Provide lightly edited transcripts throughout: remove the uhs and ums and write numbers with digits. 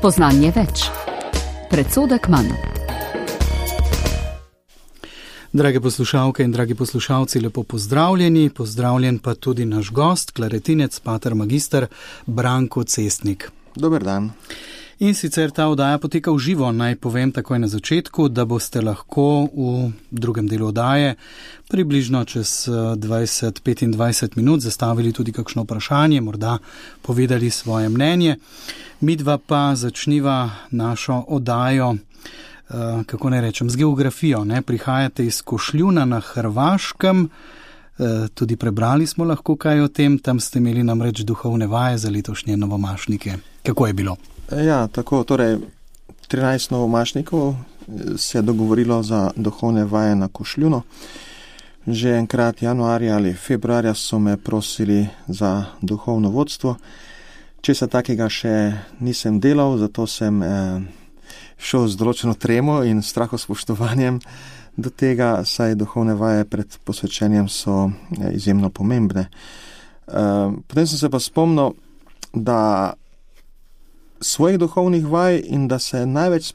Spoznanje več. Predsodek manj. Drage poslušalke in dragi poslušalci, lepo pozdravljeni. Pozdravljen pa tudi naš gost, klaretinec, pater magister Branko Cestnik. Dober dan. In sicer ta oddaja poteka v živo. Naj povem takoj na začetku, da boste lahko v drugem delu oddaje približno čez 20-25 minut zastavili tudi kakšno vprašanje, morda povedali svoje mnenje. Midva pa začniva našo oddajo, kako ne rečem, z geografijo. Prihajate iz Košljuna na Hrvaškem, tudi prebrali smo lahko kaj o tem, tam ste imeli namreč duhovne vaje za letošnje novomašnike. Kako je bilo? Ja, tako, torej 13 novomašnikov se je dogovorilo za duhovne vaje na Košljunu. Že enkrat januarja ali februarja so me prosili za duhovno vodstvo. Česa takega še nisem delal, zato sem šel z določeno tremo in strahospoštovanjem do tega, saj duhovne vaje pred posvečenjem so izjemno pomembne. Potem sem se pa spomnil, da svojih duhovnih vaj in da se največ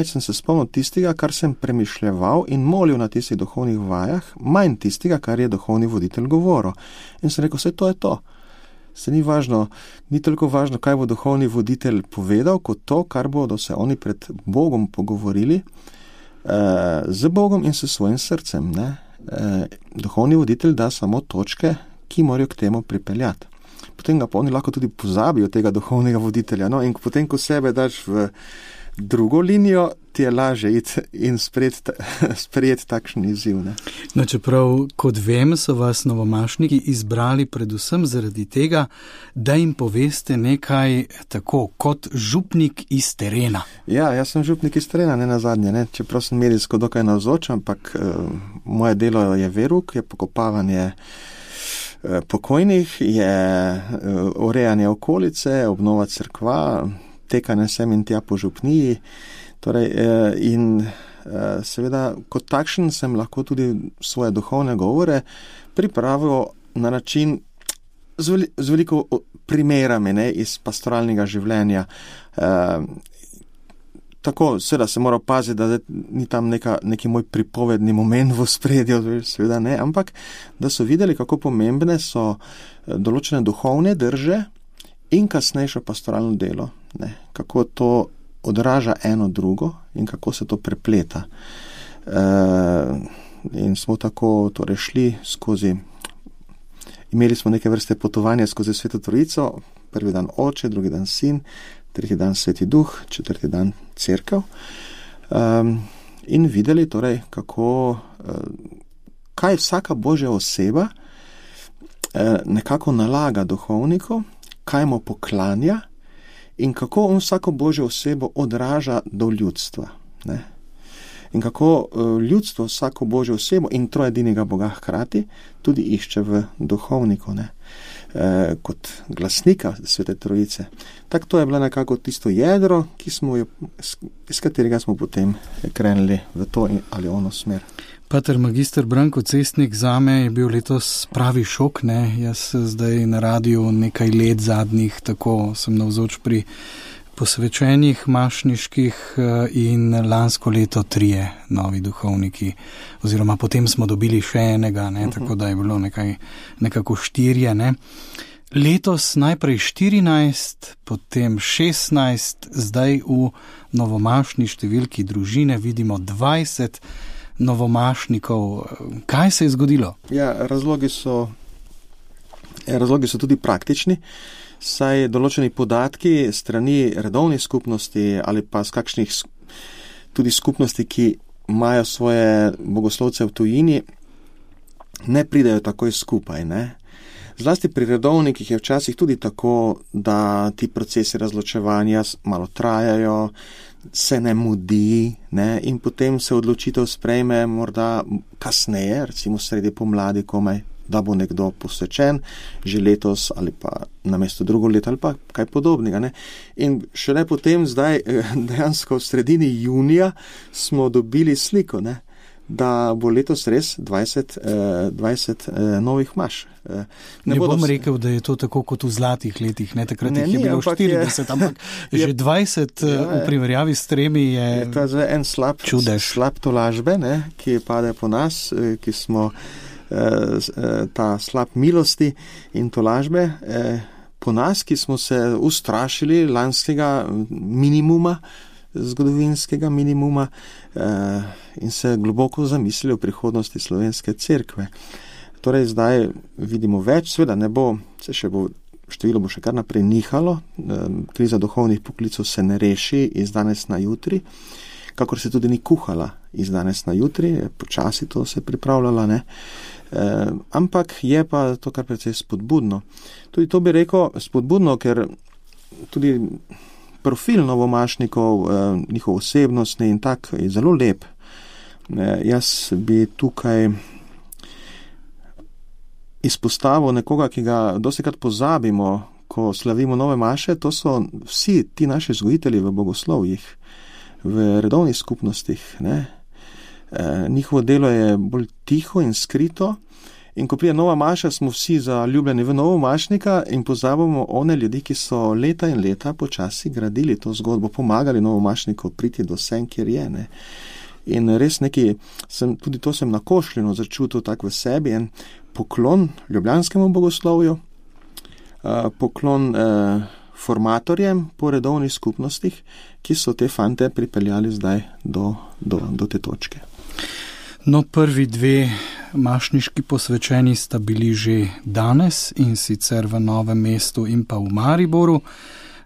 sem se spomnil tistega, kar sem premišljeval in molil na tistih duhovnih vajah, manj tistega, kar je duhovni voditelj govoril. In sem rekel, vse to je to. Se ni važno, ni toliko važno, kaj bo duhovni voditelj povedal, kot to, kar bodo se oni pred Bogom pogovorili, z Bogom in s svojim srcem. Duhovni voditelj da samo točke, ki morajo k temu pripeljati. Potem ga pa oni lahko tudi pozabijo tega duhovnega voditelja. In potem, ko sebe daš v drugo linijo, ti je lažje iti in sprejeti takšen izziv. Čeprav, kot vem, so vas novomašniki izbrali predvsem zaradi tega, da jim poveste nekaj tako, kot župnik iz terena. Ja, jaz sem župnik iz terena, ne nazadnje, čeprav sem medijsko dokaj navzoč, ampak moje delo je veruk, je pokopavanje pokojnih, je urejanje okolice, obnova cerkva, tekanje sem in tja po župniji. Seveda, kot takšen sem lahko tudi svoje duhovne govore pripravil na način z veliko primerami iz pastoralnega življenja. Tako, seveda se mora paziti, da ni tam neki moj pripovedni moment v ospredju, seveda ne, ampak da so videli, kako pomembne so določene duhovne drže in kasnejšo pastoralno delo. Kako to odraža eno drugo in kako se to prepleta. In smo tako torej šli skozi, imeli smo neke vrste potovanja skozi Sveto Trojico, prvi dan Oče, drugi dan Sin, tretji dan Sveti Duh, četrti dan Cerkev. In videli torej, kaj vsaka Božja oseba nekako nalaga duhovniku, kaj mu poklanja in kako on vsako Božjo osebo odraža do ljudstva. In kako ljudstvo vsako Božjo osebo in trojedinega Boga hkrati tudi išče v duhovniku, kot glasnika Svete Trojice. Tako to je bilo nekako tisto jedro, iz katerega smo potem krenili v to ali ono smer. Pater magister Branko Cestnik, zame je bil letos pravi šok. Jaz zdaj na radiju nekaj let zadnjih, tako sem navzoč pri posvečenih mašniških in lansko leto 3 novi duhovniki, oziroma potem smo dobili še enega, tako da je bilo nekako 4. Letos najprej 14, potem 16, zdaj v novomašni številki družine vidimo 20 novomašnikov. Kaj se je zgodilo? Ja, razlogi so tudi praktični, saj določeni podatki strani redovnih skupnosti ali pa z kakšnih tudi skupnosti, ki imajo svoje bogoslovce v tujini, ne pridejo takoj skupaj. Zlasti pri redovnikih je včasih tudi tako, da ti procesi razločevanja malo trajajo, se ne mudi, in potem se odločitev sprejme morda kasneje, recimo sredi pomladi komaj, da bo nekdo posvečen, že letos ali pa namesto drugo leto ali pa kaj podobnega. In šele potem zdaj dejansko v sredini junija smo dobili sliko, da bo letos res 20 novih maš. Ne bom rekel, da je to tako kot v zlatih letih, ne, takrat jih je bilo 40, ampak že 20 v primerjavi s 3 je to je en slab tolažbe, ne, ki pade po nas, ki smo ta slab milosti in tolažbe po nas, ki smo se ustrašili lanskega minimuma, zgodovinskega minimuma in se globoko zamislili o prihodnosti slovenske cerkve. Torej zdaj vidimo več, seveda ne bo, število bo še kar naprej nihalo, kriza duhovnih poklicov se ne reši iz danes na jutri, kakor se tudi ni kuhala iz danes na jutri, počasi to se pripravljala, ne. Ampak je pa to kar precej spodbudno. Tudi to bi rekel spodbudno, ker tudi profil novomašnikov, njihov osebnostni in tak je zelo lep. Jaz bi tukaj izpostavil nekoga, ki ga dostikrat pozabimo, ko slavimo nove maše, to so vsi ti naši vzgojitelji v bogoslovjih, v redovnih skupnostih, ne. Njihovo delo je bolj tiho in skrito in ko prije nova maša, smo vsi zaljubljeni v novomašnika in pozabimo one ljudi, ki so leta in leta počasi gradili to zgodbo, pomagali novomašniku priti do sem, kjer je, ne. In res tudi to sem na Košljinu začutil tak v sebi, en poklon ljubljanskemu bogoslovju, poklon formatorjem po redovnih skupnostih, ki so te fante pripeljali zdaj do te točke. No, prvi 2 mašniški posvečeni sta bili že danes in sicer v Novem mestu in pa v Mariboru.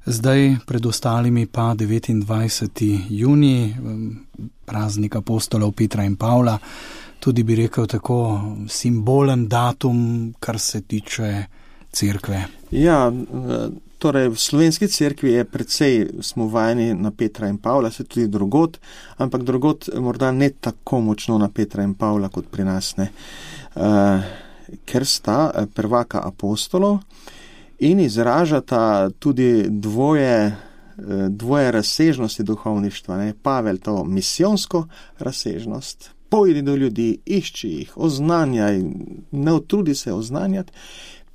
Zdaj pred ostalimi pa 29. junij, praznik apostolov Petra in Pavla, tudi bi rekel tako simbolen datum, kar se tiče cerkve. Ja, torej v slovenski cerkvi je precej, smo vajeni na Petra in Pavla, se tudi drugod, ampak drugod morda ne tako močno na Petra in Pavla kot pri nas, ne. Ker sta prvaka apostolov in izražata tudi dvoje razsežnosti duhovništva, ne. Pavel to misijonsko razsežnost, pojdi do ljudi, išči jih, oznanjaj, ne utrudi se oznanjati.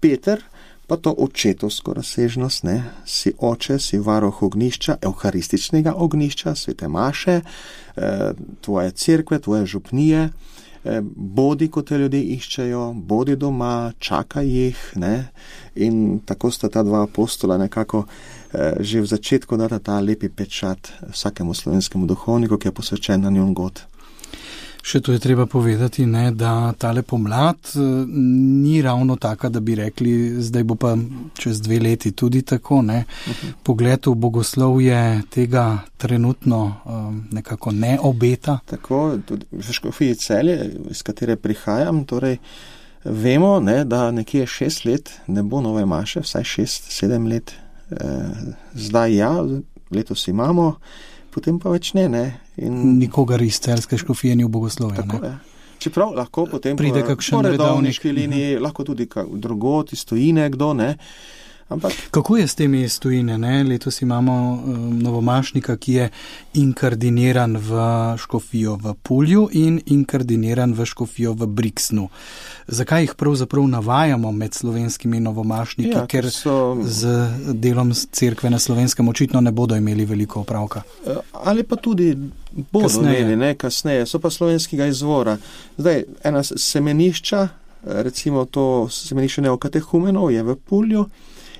Peter pa to očetovsko razsežnost, ne, si oče, si varuh ognjišča, evharističnega ognjišča, svete maše, tvoje cerkve, tvoje župnije, bodi, ko te ljudje iščejo, bodi doma, čakaj jih, ne, in tako sta ta 2 apostola nekako že v začetku data ta lepi pečat vsakemu slovenskemu duhovniku, ki je posvečen na njun god. Še to je treba povedati, ne, da tale pomlad ni ravno taka, da bi rekli, zdaj bo pa čez 2 leti tudi tako, ne. Pogled v bogoslovje tega trenutno nekako ne obeta. Tako, tudi v škofiji Celje, iz katere prihajam, torej vemo, ne, da nekje 6 let ne bo nove maše, vsaj 6-7 let. Zdaj ja, letos imamo, potem pa več ne. In nikogar iz celjske škofije ni v bogoslovju, ne? Je. Čeprav lahko potem pride kakšen redovniški liniji, lahko tudi drugod iz tujine kdo, ne. Ampak kako je s temi iz tujine, ne? Letos imamo novomašnika, ki je inkardiniran v škofijo v Pulju in inkardiniran v škofijo v Brixnu. Zakaj jih pravzaprav navajamo med slovenskimi novomašniki? Ja, ker z delom cerkve na Slovenskem očitno ne bodo imeli veliko opravka. Ali pa tudi bodo imeli, ne, kasneje, so pa slovenskega izvora. Zdaj, ena semenišča, recimo to semenišče neokatehumenov je v Pulju,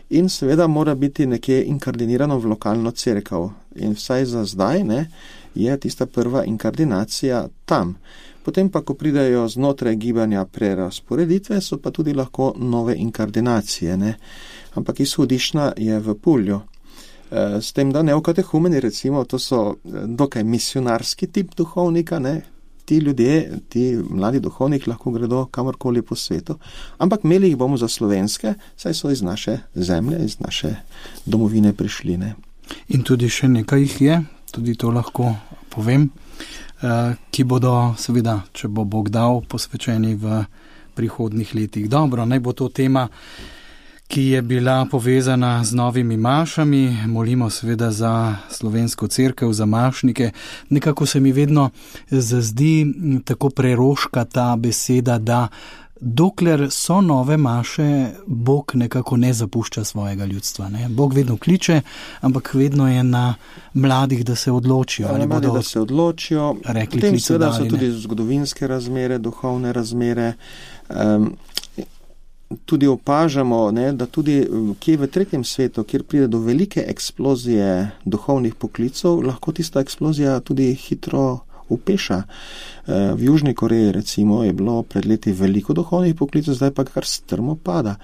in seveda mora biti nekje inkardinirano v lokalno cerkev. In vsaj za zdaj, ne, je tista prva inkardinacija tam. Potem pa, ko pridejo znotraj gibanja prerasporeditve, so pa tudi lahko nove inkardinacije, ne. Ampak izhodiščna je v Pulju. S tem, da neokatehumeni, recimo, to so dokaj misionarski tip duhovnika, ne. Ti ljudje, ti mladi duhovniki lahko gredo kamorkoli po svetu, ampak imeli jih bomo za slovenske, saj so iz naše zemlje, iz naše domovine prišli, ne. In tudi še nekaj jih je, tudi to lahko povem, ki bodo seveda, če bo Bog dal, posvečeni v prihodnih letih. Dobro, naj bo to tema, ki je bila povezana z novimi mašami. Molimo seveda za slovensko cerkev, za mašnike. Nekako se mi vedno zazdi tako preroška ta beseda, da dokler so nove maše, Bog nekako ne zapušča svojega ljudstva. Ne? Bog vedno kliče, ampak vedno je na mladih, da se odločijo. Ali bodo da se odločijo. Potem seveda so tudi zgodovinske razmere, duhovne razmere. Tudi opažamo, ne, da tudi kje v tretjem svetu, kjer pride do velike eksplozije duhovnih poklicov, lahko tista eksplozija tudi hitro upeša. V Južni Koreji recimo je bilo pred leti veliko duhovnih poklicov, zdaj pa kar strmo pada.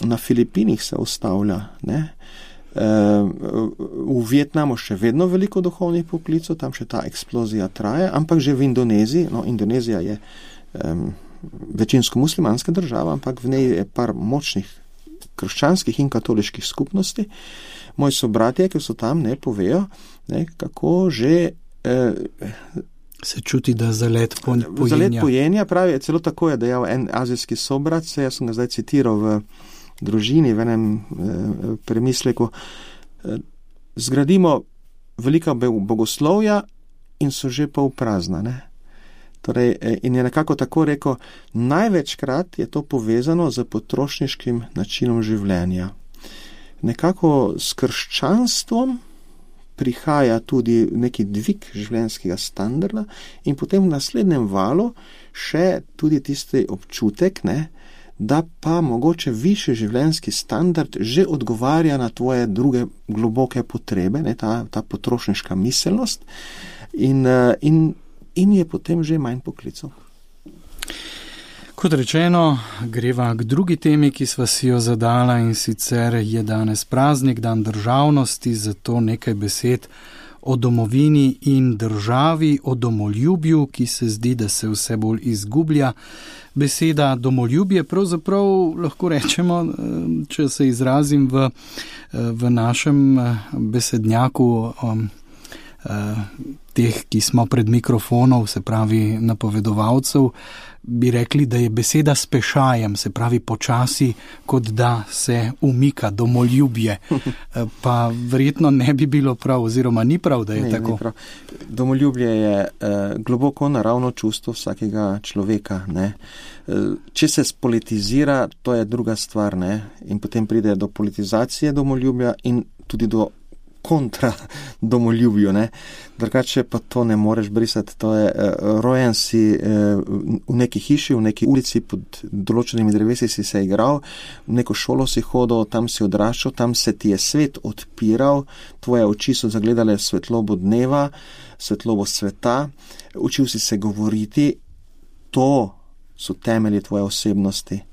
Na Filipinih se ustavlja, ne. V Vietnamu še vedno veliko duhovnih poklicov, tam še ta eksplozija traja, ampak že v Indoneziji, Indonezija je večinsko muslimanska država, ampak v njej je par močnih krščanskih in katoliških skupnosti. Moji sobratje, ki so tam, ne povejo, ne, kako že se čuti, da zalet pojenja. Zalet pojenja, pravi, celo tako je dejal en azijski sobrat, jaz sem ga zdaj citiral v družini, v enem premisleku. Zgradimo velika bogoslovja in so že pol prazna, ne. Torej, in je nekako tako rekel, največkrat je to povezano z potrošniškim načinom življenja. Nekako s krščanstvom prihaja tudi neki dvig življenjskega standarda in potem v naslednjem valu še tudi tisti občutek, ne, da pa mogoče višji življenjski standard že odgovarja na tvoje druge globoke potrebe, ne, ta potrošniška miselnost in je potem že manj poklicov. Kot rečeno, greva k drugi temi, ki sva si jo zadala, in sicer je danes praznik, dan državnosti, zato nekaj besed o domovini in državi, o domoljubju, ki se zdi, da se vse bolj izgublja. Beseda domoljubje pravzaprav lahko rečemo, če se izrazim v našem besednjaku teh, ki smo pred mikrofonov, se pravi napovedovalcev, bi rekli, da je beseda s pešajem, se pravi počasi, kot da se umika domoljubje. Pa verjetno ne bi bilo prav, oziroma ni prav, da je tako. Domoljubje je globoko naravno čustvo vsakega človeka, ne. Če se spolitizira, to je druga stvar, ne. In potem pride do politizacije domoljubja in tudi do kontra domoljubju, ne. Drugače pa to ne moreš brisati, to je rojen si v neki hiši, v neki ulici, pod določenimi drevesi si se igral, v neko šolo si hodil, tam si odraščal, tam se ti je svet odpiral, tvoje oči so zagledale svetlobo dneva, svetlobo sveta, učil si se govoriti, to so temelji tvoje osebnosti.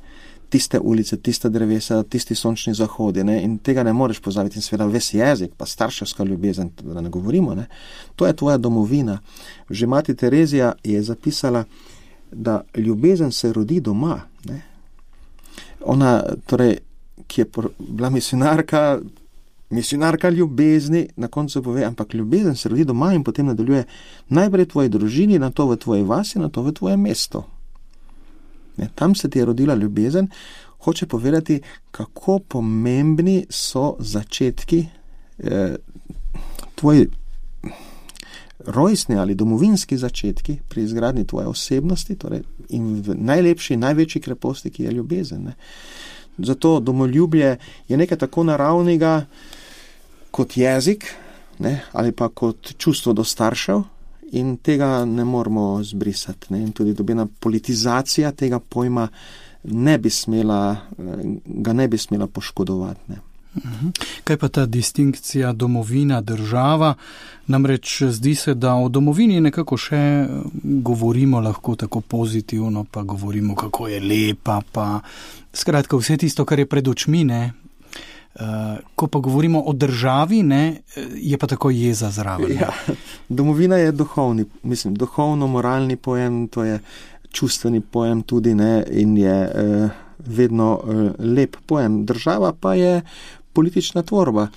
Tiste ulice, tiste drevesa, tisti sončni zahodi, ne? In tega ne moreš pozabiti. In seveda ves jezik, pa starševska ljubezen, da ne govorimo, ne? To je tvoja domovina. Že mati Terezija je zapisala, da ljubezen se rodi doma, ne? Ona, torej, ki je bila misionarka ljubezni, na koncu pove, ampak ljubezen se rodi doma in potem nadaljuje najprej v tvoji družini, nato v tvoji vasi, nato v tvoje mesto. Tam se ti je rodila ljubezen, hoče povedati, kako pomembni so začetki, tvoji rojstni ali domovinski začetki pri izgradnji tvoje osebnosti, torej in v najlepši, največji kreposti, ki je ljubezen. Ne. Zato domoljubje je nekaj tako naravnega kot jezik, ne, ali pa kot čustvo do staršev, in tega ne moramo zbrisati. Ne? In tudi dobena politizacija tega pojma ga ne bi smela poškodovati. Ne? Kaj pa ta distinkcija domovina, država? Namreč zdi se, da o domovini nekako še govorimo lahko tako pozitivno, pa govorimo, kako je lepa, pa skratka vse tisto, kar je pred očmi, ne? Ko pa govorimo o državi, ne, je pa tako jeza zraven. Ja, domovina je duhovno-moralni pojem, to je čustveni pojem tudi, ne, in je vedno lep pojem. Država pa je politična tvorba.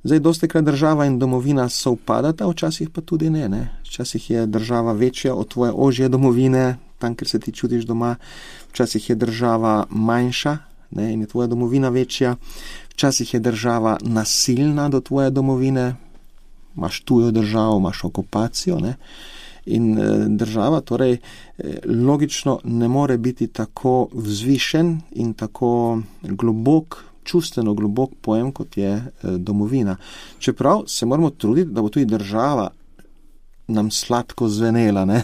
Zdaj, dostikrat država in domovina sovpadata, včasih pa tudi ne, ne. Včasih je država večja od tvoje ožje domovine, tam, kjer se ti čutiš doma. Včasih je država manjša, ne, in je tvoja domovina večja. Včasih je država nasilna do tvoje domovine, imaš tujo državo, imaš okupacijo, ne. In država torej logično ne more biti tako vzvišen in tako čustveno globok pojem, kot je domovina. Čeprav se moramo truditi, da bo tudi država nam sladko zvenela, ne?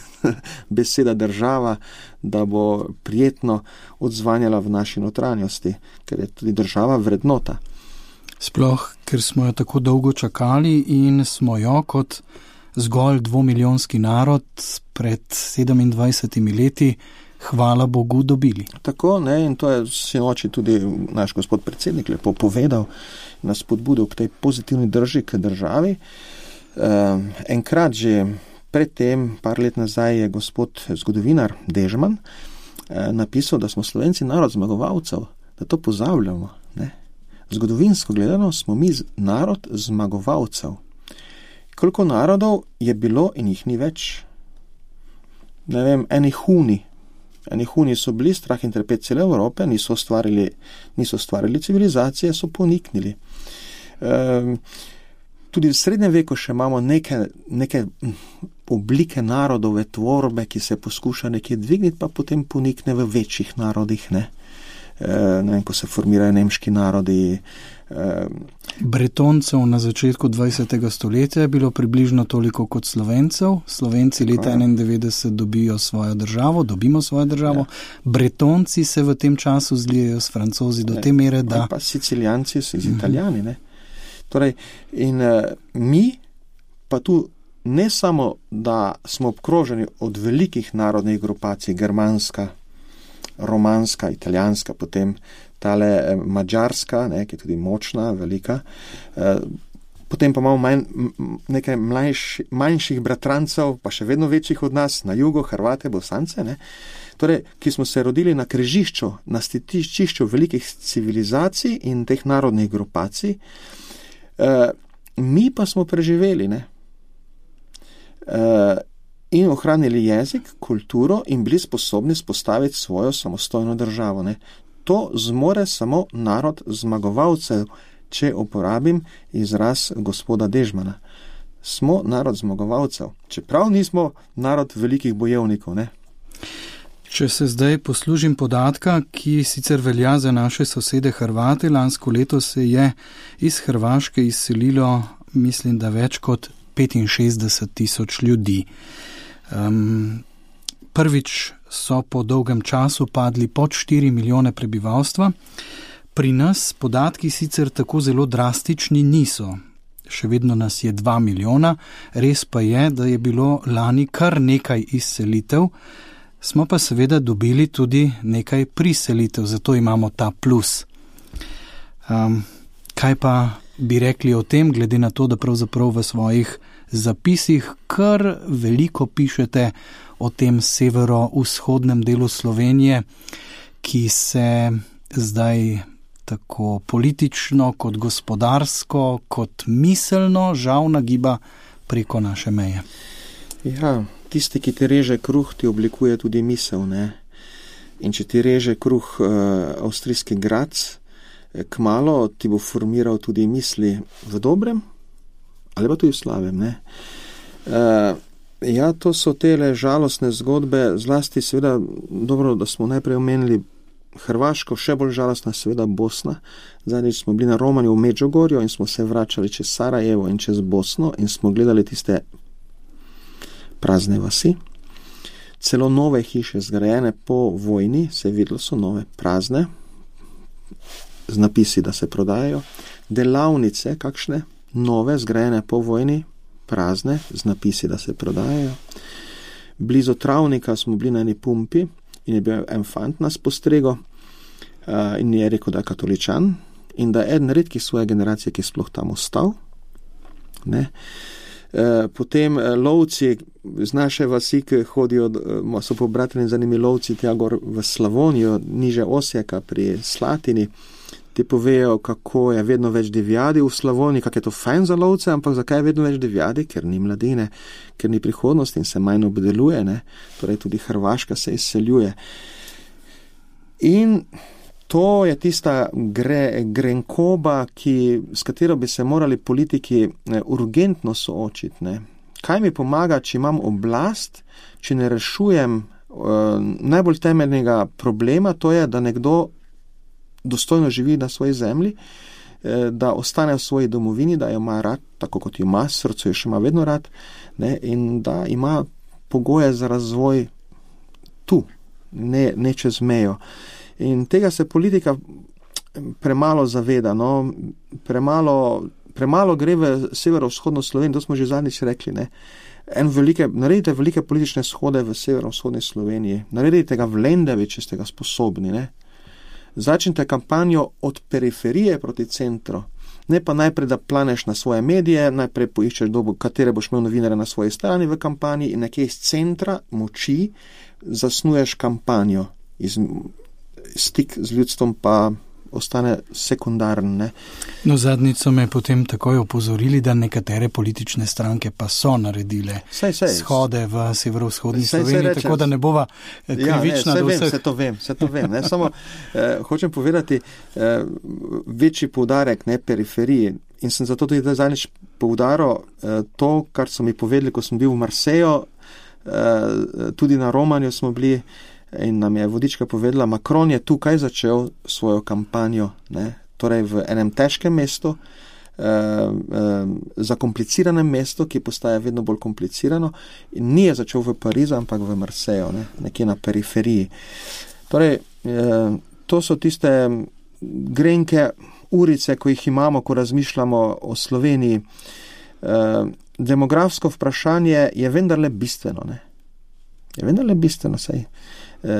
Beseda država, da bo prijetno odzvanjala v naši notranjosti, ker je tudi država vrednota. Sploh, ker smo jo tako dolgo čakali in smo jo kot zgolj 2-milijonski narod pred 27 leti, hvala Bogu, dobili. Tako, ne, in to je sinoči tudi naš gospod predsednik lepo povedal, nas spodbudil k tej pozitivni drži k državi. Enkrat že predtem, par let nazaj, je gospod zgodovinar Dežman napisal, da smo Slovenci narod zmagovalcev, da to pozabljamo. Ne? Zgodovinsko gledano smo mi narod zmagovalcev. Koliko narodov je bilo in jih ni več? Ne vem, eni huni so bili, strah in trpet cele Evrope, niso ustvarili civilizacije, so poniknili. Tudi v srednjem veku še imamo neke oblike narodove tvorbe, ki se poskuša nekje dvigniti, pa potem ponikne v večjih narodih, ne vem, ko se formirajo nemški narodi. Bretoncev na začetku 20. stoletja je bilo približno toliko kot Slovencev. Slovenci leta 1991 dobimo svojo državo. Ja. Bretonci se v tem času zlijejo s Francozi do te mere, da... Pa Sicilijanci z Italijani, ne. Torej, in mi pa tu ne samo, da smo obkroženi od velikih narodnih grupacij, germanska, romanska, italijanska, potem tale mađarska, ne, ki je tudi močna, velika, potem pa imamo nekaj manjših bratrancev, pa še vedno večjih od nas, na jugu, Hrvate, Bosance, ne, torej, ki smo se rodili na križišču, na stičišču velikih civilizacij in teh narodnih grupacij. Mi pa smo preživeli, ne? In ohranili jezik, kulturo in bili sposobni spostaviti svojo samostojno državo, ne? To zmore samo narod zmagovalcev, če uporabim izraz gospoda Dežmana. Smo narod zmagovalcev, čeprav nismo narod velikih bojevnikov, ne? Če se zdaj poslužim podatka, ki sicer velja za naše sosede Hrvate, lansko leto se je iz Hrvaške izselilo, mislim, da več kot 65,000 ljudi. Prvič so po dolgem času padli pod 4 milijone prebivalstva. Pri nas podatki sicer tako zelo drastični niso. Še vedno nas je 2 milijona, res pa je, da je bilo lani kar nekaj izselitev. Smo pa seveda dobili tudi nekaj priselitev, zato imamo ta plus. Kaj pa bi rekli o tem, glede na to, da pravzaprav v svojih zapisih kar veliko pišete o tem severo-vzhodnem delu Slovenije, ki se zdaj tako politično, kot gospodarsko, kot miselno žal nagiba preko naše meje? Ja, tisti, ki ti reže kruh, ti oblikuje tudi misel, ne? In če ti reže kruh avstrijski Graz, kmalo ti bo formiral tudi misli v dobrem, ali pa tudi v slabem, ne? Ja, to so tele žalostne zgodbe, zlasti seveda dobro, da smo najprej omenili Hrvaško, še bolj žalostna seveda Bosna. Zadnjič smo bili na Romanju v Međugorju in smo se vračali čez Sarajevo in čez Bosno in smo gledali tiste prazne vasi. Celo nove hiše zgrajene po vojni, se je videlo, so nove, prazne, z napisi, da se prodajajo. Delavnice, kakšne, nove, zgrajene po vojni, prazne, z napisi, da se prodajajo. Blizu travnika smo bili na eni pumpi in je bil en fant nas postregal in je rekel, da je katoličan in da je eden redkih svoje generacije, ki je sploh tam ostal. Ne? Potem lovci z naše vasi, ki hodijo, so pobrateni z njimi lovci tja gor v Slavonijo, niže Osijeka pri Slatini, ti povejo, kako je vedno več divjadi v Slavoniji, kako je to fajn za lovce, ampak zakaj je vedno več divjadi? Ker ni mladine, ker ni prihodnosti in se manj obdeluje, ne? Torej tudi Hrvaška se izseljuje. In To je tista grenkoba, s katero bi se morali politiki urgentno soočiti. Ne? Kaj mi pomaga, če imam oblast, če ne rešujem najbolj temeljnega problema, to je, da nekdo dostojno živi na svoji zemlji, da ostane v svoji domovini, da jo ima rad, tako kot jo ima, srce jo še ima vedno rad, ne? In da ima pogoje za razvoj tu, ne čez mejo. In tega se politika premalo zaveda, no? Premalo gre v severovzhodno Slovenijo, to smo že zadnjič rekli, ne? Naredite velike politične shode v severovzhodni Sloveniji, naredite ga v Lendavi, če ste ga sposobni, ne? Začnite kampanjo od periferije proti centru, ne pa najprej, da planeš na svoje medije, najprej poiščeš katere boš imel novinare na svoji strani v kampanji in nekje iz centra moči zasnuješ kampanjo. Stik z ljudstvom pa ostane sekundarn. Ne? No, zadnjič so me potem takoj opozorili, da nekatere politične stranke pa so naredile shode v severovzhodni Sloveniji, tako da ne bova krivična do vseh. Se to vem. Ne? Samo hočem povedati večji poudarek, ne, periferiji. In sem zato tudi zadnjič poudaril to, kar so mi povedali, ko sem bil v Marseju, tudi na Romanju smo bili, in nam je vodička povedala, Macron je tukaj začel svojo kampanjo, ne? Torej v enem težkem mestu, zakompliciranem mestu, ki postaja vedno bolj komplicirano, in ni je začel v Parizu, ampak v Marseju, ne? Nekje na periferiji. Torej, to so tiste grenke urice, ko jih imamo, ko razmišljamo o Sloveniji. Demografsko vprašanje je vendarle bistveno, ne? Je vendarle bistveno, saj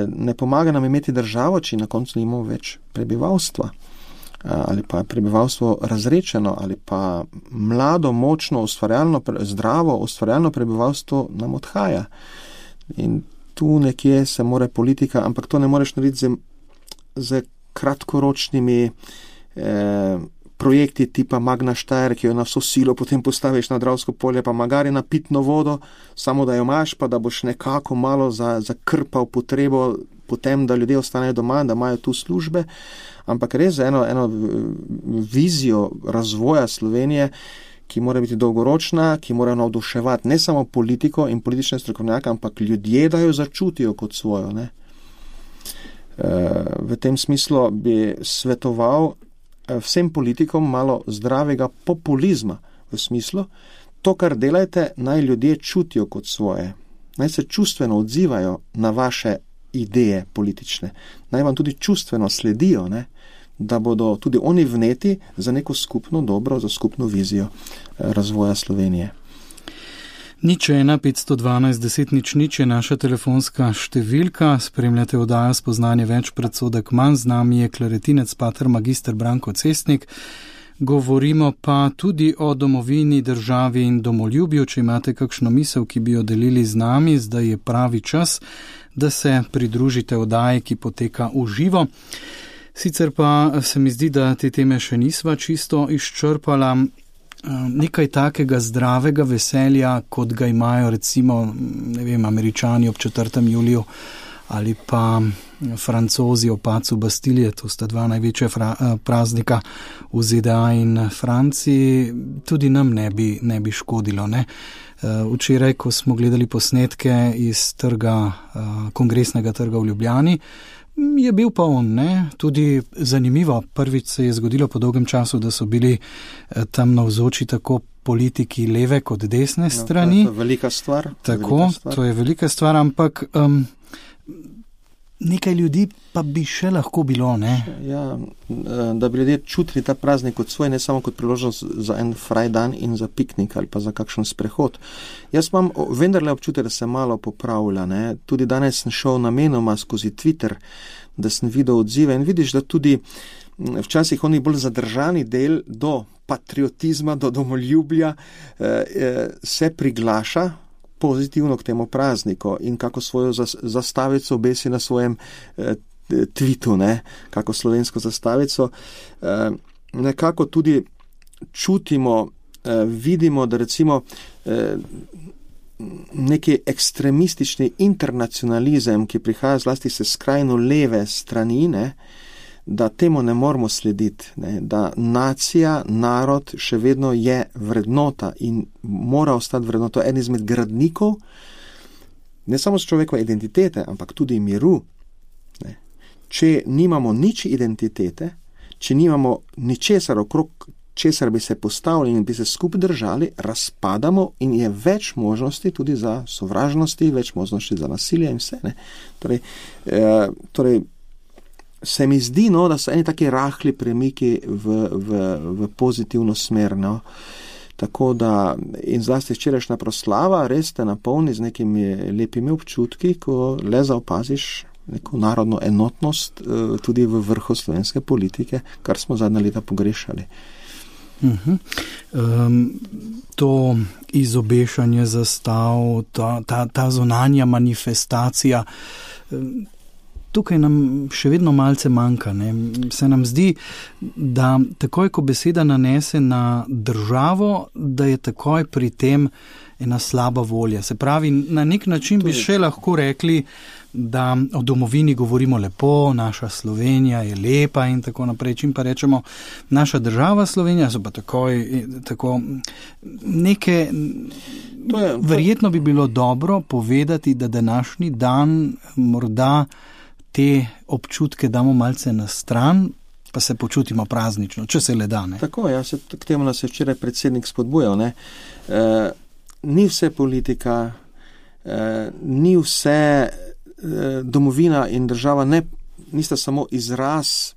ne pomaga nam imeti državo, če na koncu nimamo več prebivalstva, ali pa prebivalstvo razrečeno, ali pa mlado, močno, ustvarjalno, zdravo, ustvarjalno prebivalstvo nam odhaja. In tu nekje se mora politika, ampak to ne moreš narediti z kratkoročnimi projekti tipa Magna Steyr, ki jo na vso silo potem postaviš na Dravsko polje, pa magari na pitno vodo, samo da jo imaš, pa da boš nekako malo zakrpal potrebo potem, da ljudje ostanejo doma, da imajo tu službe, ampak res eno vizijo razvoja Slovenije, ki mora biti dolgoročna, ki mora navduševati ne samo politiko in politične strokovnjake, ampak ljudje, da jo začutijo kot svojo. Ne? V tem smislu bi svetoval vsem politikom malo zdravega populizma, v smislu, to, kar delajte, naj ljudje čutijo kot svoje, naj se čustveno odzivajo na vaše ideje politične, naj vam tudi čustveno sledijo, ne? Da bodo tudi oni vneti za neko skupno dobro, za skupno vizijo razvoja Slovenije. 01 512 10 00 je naša telefonska številka, spremljate oddajo Spoznanje več, predsodek manj, z nami je klaretinec pater magister Branko Cestnik. Govorimo pa tudi o domovini, državi in domoljubju. Če imate kakšno misel, ki bi jo delili z nami, zdaj je pravi čas, da se pridružite oddaji, ki poteka v živo. Sicer pa se mi zdi, da te teme še nisva čisto izčrpala. Nekaj takega zdravega veselja, kot ga imajo recimo, ne vem, Američani ob 4. juliju ali pa Francozi ob padcu Bastilije, to sta dva največja praznika v ZDA in Franciji, tudi nam ne bi škodilo, ne. Včeraj, ko smo gledali posnetke iz Kongresnega trga v Ljubljani, je bil pa on, ne, tudi zanimivo. Prvič se je zgodilo po dolgem času, da so bili tam navzoči tako politiki leve kot desne strani. To je velika stvar. Tako, to je velika stvar, ampak nekaj ljudi pa bi še lahko bilo, ne? Ja, da bi ljudje čutili ta praznik kot svoj, ne samo kot priložnost za en fraj dan in za piknik ali pa za kakšen sprehod. Jaz imam vendarle občutek, da se malo popravlja, ne? Tudi danes sem šel namenoma skozi Twitter, da sem videl odzive in vidiš, da tudi včasih oni bolj zadržani del do patriotizma, do domoljubja se priglaša pozitivno k temu prazniku in kako svojo zastavico obesi na svojem twitu, ne, kako slovensko zastavico. Nekako tudi čutimo, vidimo, da recimo neki ekstremistični internacionalizem, ki prihaja zlasti se skrajno leve strani, ne, da temu ne moramo slediti, ne, da nacija, narod še vedno je vrednota in mora ostati vrednota, en izmed gradnikov, ne samo človekove identitete, ampak tudi miru. Ne. Če nimamo nič identitete, če nimamo ničesar okrog česar bi se postavili in bi se skupaj držali, razpadamo in je več možnosti tudi za sovražnosti, več možnosti za nasilje in vse. Ne. Torej, se mi zdi, no, da so eni taki rahli premiki v pozitivno smer. No. Tako da, in zlasti včerajšnja proslava, res te napolni z nekimi lepimi občutki, ko le zaopaziš neko narodno enotnost tudi v vrhu slovenske politike, kar smo zadnja leta pogrešali. To izobešanje zastav, ta zunanja manifestacija, tukaj nam še vedno malce manjka. Ne? Se nam zdi, da takoj, ko beseda nanese na državo, da je takoj pri tem ena slaba volja. Se pravi, na nek način bi še lahko rekli, da o domovini govorimo lepo, naša Slovenija je lepa in tako naprej. Čim pa rečemo naša država Slovenija, so pa tako neke... Verjetno bi bilo dobro povedati, da današnji dan morda te občutke damo malce na stran, pa se počutimo praznično, če se le da. Ne? Tako, ja, k temu nas je včeraj predsednik spodbujal. Ne? Ni vse politika, ni vse domovina in država, nista samo izraz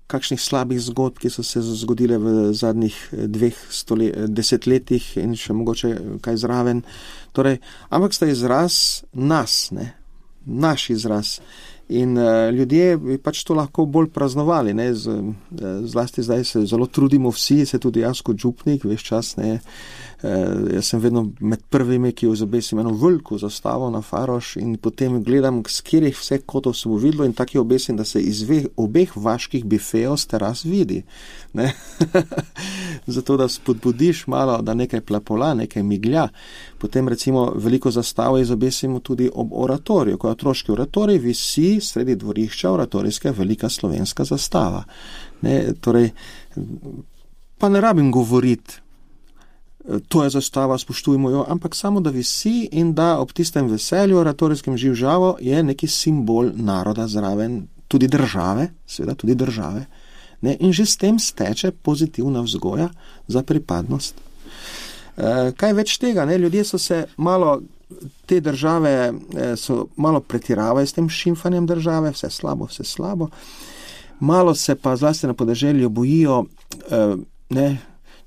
kakšnih slabih zgodb, ki so se zgodile v zadnjih 10 letih in še mogoče kaj zraven. Torej, ampak sta izraz nas, ne? Naš izraz. In ljudje bi pač to lahko bolj praznovali, ne, zlasti zdaj se zelo trudimo vsi, se tudi jaz kot župnik, veš čas, ne, jaz sem vedno med prvimi, ki obesim eno veliko zastavo na Faroš in potem gledam, z katerih vse kotov se bo videlo in tako obesim, da se iz obeh vaških bifejev z teras vidi, ne, zato da spodbudiš malo, da nekaj plapola, nekaj miglja. Potem recimo veliko zastavo izobesimo tudi ob oratoriju, ko je otroški oratorij, visi sredi dvorišča oratorijska velika slovenska zastava. Ne, torej, pa ne rabim govoriti, to je zastava, spoštujmo jo, ampak samo da visi in da ob tistem veselju oratorijskem živžavo je neki simbol naroda zraven, tudi države, seveda tudi države. Ne, in že s tem steče pozitivna vzgoja za pripadnost. Kaj več tega, ne? Ljudje so se malo, te države so malo pretiravali s tem šimfanjem države, vse slabo. Malo se pa zlasti na podeželju bojijo, ne,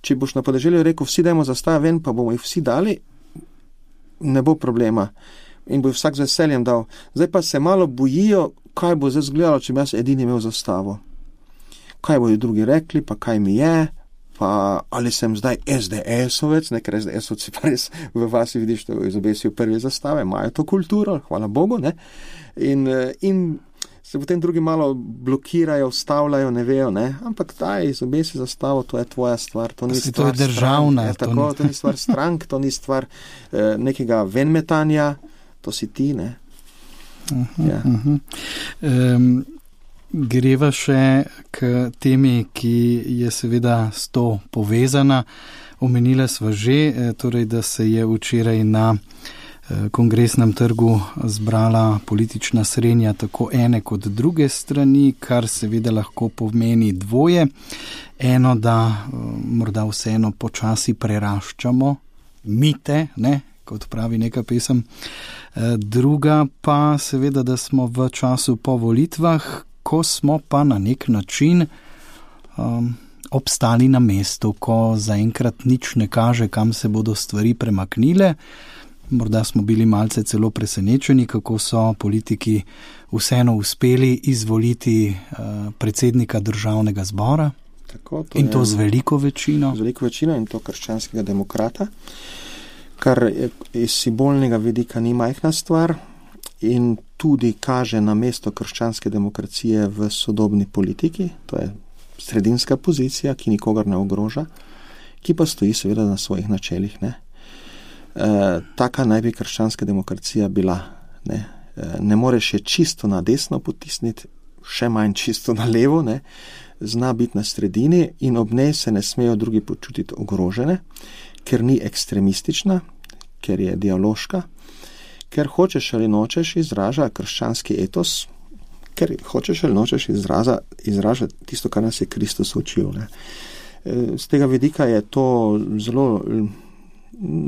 če boš na podeželju rekel, vsi dajmo zastave ven, pa bomo jih vsi dali, ne bo problema. In bo vsak z veseljem dal. Zdaj pa se malo bojijo, kaj bo zdaj zgledalo, če bi jaz edini imel zastavo. Kaj bodo drugi rekli, pa kaj mi je, pa ali sem zdaj SDS-ovec, ker SDS-ovci pa res v vasi vidiš, da izobesijo prve zastave, imajo to kulturo, hvala Bogu, ne? In se potem drugi malo blokirajo, vstavljajo, ne vejo, ne? Ampak daj, izobesi zastavo, to je tvoja stvar, to ni stvar državna, strank, to ni stvar strank, to ni stvar nekega venmetanja, to si ti, ne? Ja. Greva še k temi, ki je seveda s to povezana. Omenila sva že, torej, da se je včeraj na Kongresnem trgu zbrala politična srenja tako ene kot druge strani, kar seveda lahko pomeni dvoje. Eno, da morda vseeno počasi preraščamo mite, ne, kot pravi neka pesem. Druga pa seveda, da smo v času po volitvah, ko smo pa na nek način obstali na mestu, ko zaenkrat nič ne kaže, kam se bodo stvari premaknile. Morda smo bili malce celo presenečeni, kako so politiki vseeno uspeli izvoliti predsednika državnega zbora. Tako, in to z veliko večino. Z veliko večino in to krščanskega demokrata, kar iz simbolnega vidika ni majhna stvar in tudi kaže na mesto krščanske demokracije v sodobni politiki. To je sredinska pozicija, ki nikogar ne ogroža, ki pa stoji seveda na svojih načelih. Ne? Taka naj bi krščanska demokracija bila. Ne moreš je čisto na desno potisniti, še manj čisto na levo, ne, zna biti na sredini in ob njej se ne smejo drugi počutiti ogrožene, ker ni ekstremistična, ker je dialoška, ker hočeš ali nočeš izraža krščanski etos, ker hočeš ali nočeš izraža tisto, kar nas je Kristus učil. Ne. Z tega vidika je to zelo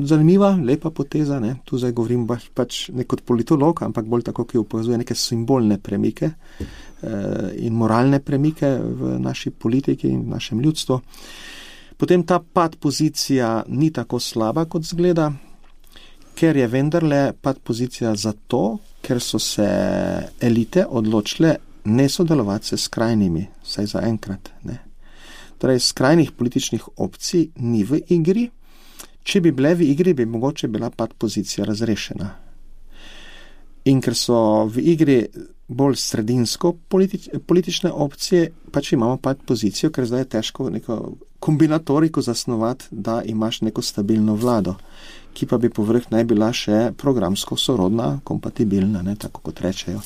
zanimiva, lepa poteza. Ne. Tu zdaj govorim pač ne kot politolog, ampak bolj tako, ki opazuje neke simbolne premike in moralne premike v naši politiki in v našem ljudstvu. Potem ta pad pozicija ni tako slaba, kot zgleda, ker je vendarle pad pozicija zato, ker so se elite odločile ne sodelovati se skrajnimi, saj za enkrat. Ne. Torej, skrajnih političnih opcij ni v igri. Če bi bile v igri, bi mogoče bila pad pozicija razrešena. In ker so v igri bolj sredinsko politične opcije, pač imamo pad pozicijo, ker zdaj je težko neko kombinatoriko zasnovati, da imaš neko stabilno vlado, ki pa bi povrh naj bila še programsko sorodna, kompatibilna, ne, tako kot rečejo.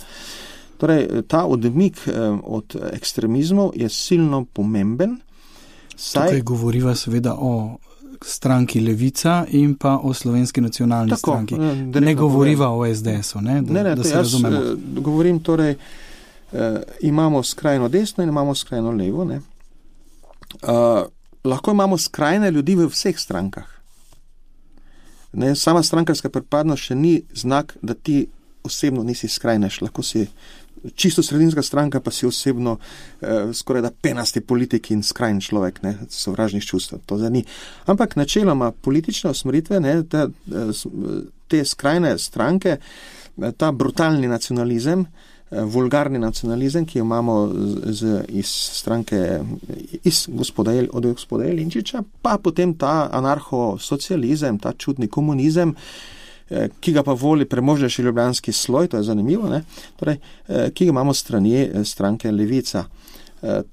Torej, ta odmik od ekstremizmov je silno pomemben. Tukaj govoriva seveda o stranki Levica in pa o Slovenski nacionalni stranki. Ne govoriva o SDS-u, ne? Da se razumemo. Govorim torej, imamo skrajno desno in imamo skrajno levo. Ne? Lahko imamo skrajne ljudi v vseh strankah. Ne? Sama strankarska pripadnost še ni znak, da ti osebno nisi skrajnež. Lahko si čisto sredinska stranka, pa si osebno skoraj da penasti politik in skrajni človek, ne, sovražnih čustev. To zdaj ni. Ampak načeloma politične usmeritve, ne, te skrajne stranke, ta brutalni nacionalizem, vulgarni nacionalizem, ki jo imamo iz stranke od gospoda Jelinčiča, pa potem ta anarcho-socializem, ta čudni komunizem, ki ga pa voli premožnejši ljubljanski sloj, to je zanimivo, ne? Torej, ki ga imamo strani stranke Levica.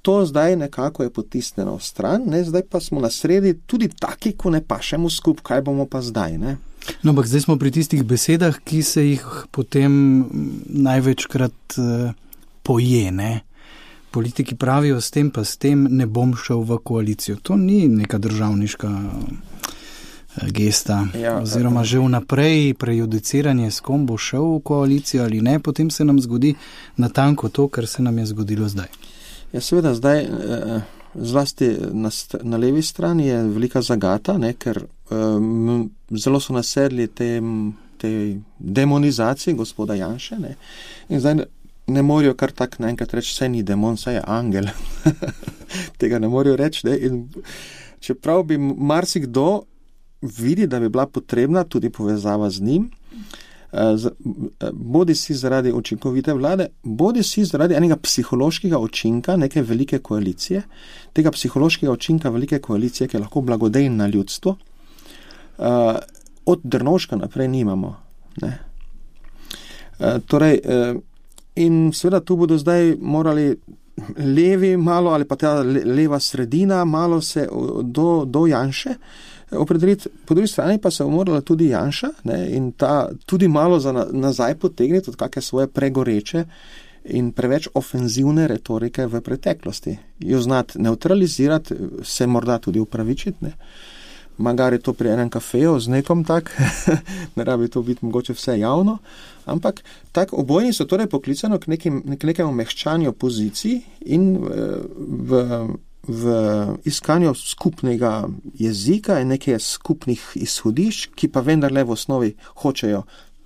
To zdaj nekako je potisnjeno v stran, ne? Zdaj pa smo na sredi tudi taki, ko ne pašemo skup, kaj bomo pa zdaj, ne? No, ampak zdaj smo pri tistih besedah, ki se jih potem največkrat poje, ne? Politiki pravijo, s tem pa s tem ne bom šel v koalicijo. To ni neka državniška gesta, oziroma že vnaprej prejudiciranje, s kom bo šel v koalicijo ali ne, potem se nam zgodi natanko to, kar se nam je zgodilo zdaj. Ja, seveda zdaj, zlasti na levi strani je velika zagata, ne, ker zelo so nasedli tej demonizaciji gospoda Janše, ne, in zdaj ne morajo kar tak naenkrat reči, saj ni demon, saj je angel. Tega ne morajo reči, ne, in čeprav bi marsikdo vidi, da bi bila potrebna tudi povezava z njim, bodi si zaradi učinkovite vlade, bodi si zaradi enega psihološkega učinka neke velike koalicije, tega psihološkega učinka velike koalicije, ki je lahko blagodejna na ljudstvo, od Drnovška naprej nimamo. Ne? Torej, in seveda tu bodo zdaj morali levi malo, ali pa ta leva sredina malo se do Janše opredeliti, po drugi strani pa se bo morala tudi Janša, ne, in ta tudi malo nazaj potegniti od kakšne svoje pregoreče in preveč ofenzivne retorike v preteklosti. Jo znati neutralizirati, se morda tudi upravičiti, ne. Magari to pri enem kafeju z nekom tak, ne rabi to biti mogoče vse javno, ampak tak obojni so torej poklicano k nekemu mehčanju pozicij in v iskanju skupnega jezika in nekaj skupnih izhodišč, ki pa vendarle v osnovi hočejo,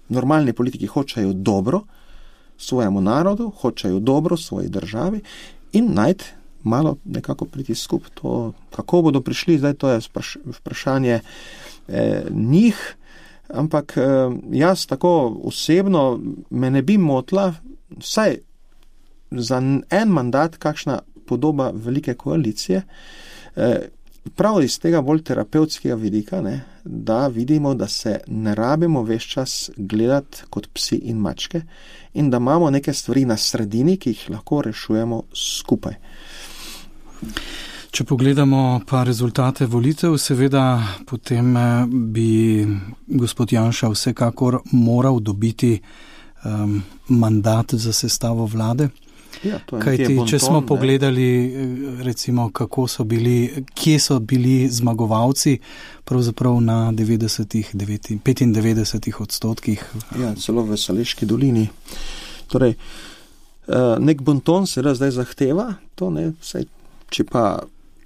normalni politiki hočejo dobro svojemu narodu, hočejo dobro svoji državi in najti malo nekako priti skup. To, kako bodo prišli, zdaj to je vprašanje njih, ampak jaz tako osebno me ne bi motila, vsaj za en mandat kakšna podoba velike koalicije, prav iz tega bolj terapevtskega vidika, ne, da vidimo, da se ne rabimo ves čas gledati kot psi in mačke in da imamo neke stvari na sredini, ki jih lahko rešujemo skupaj. Če pogledamo pa rezultate volitev, seveda potem bi gospod Janša vsekakor moral dobiti mandat za sestavo vlade. Ja, kajti, če smo pogledali, recimo, kje so bili zmagovalci, pravzaprav na 95%. Ja, celo v Šaleški dolini. Torej, nek bonton se zdaj zahteva, to ne, saj, če pa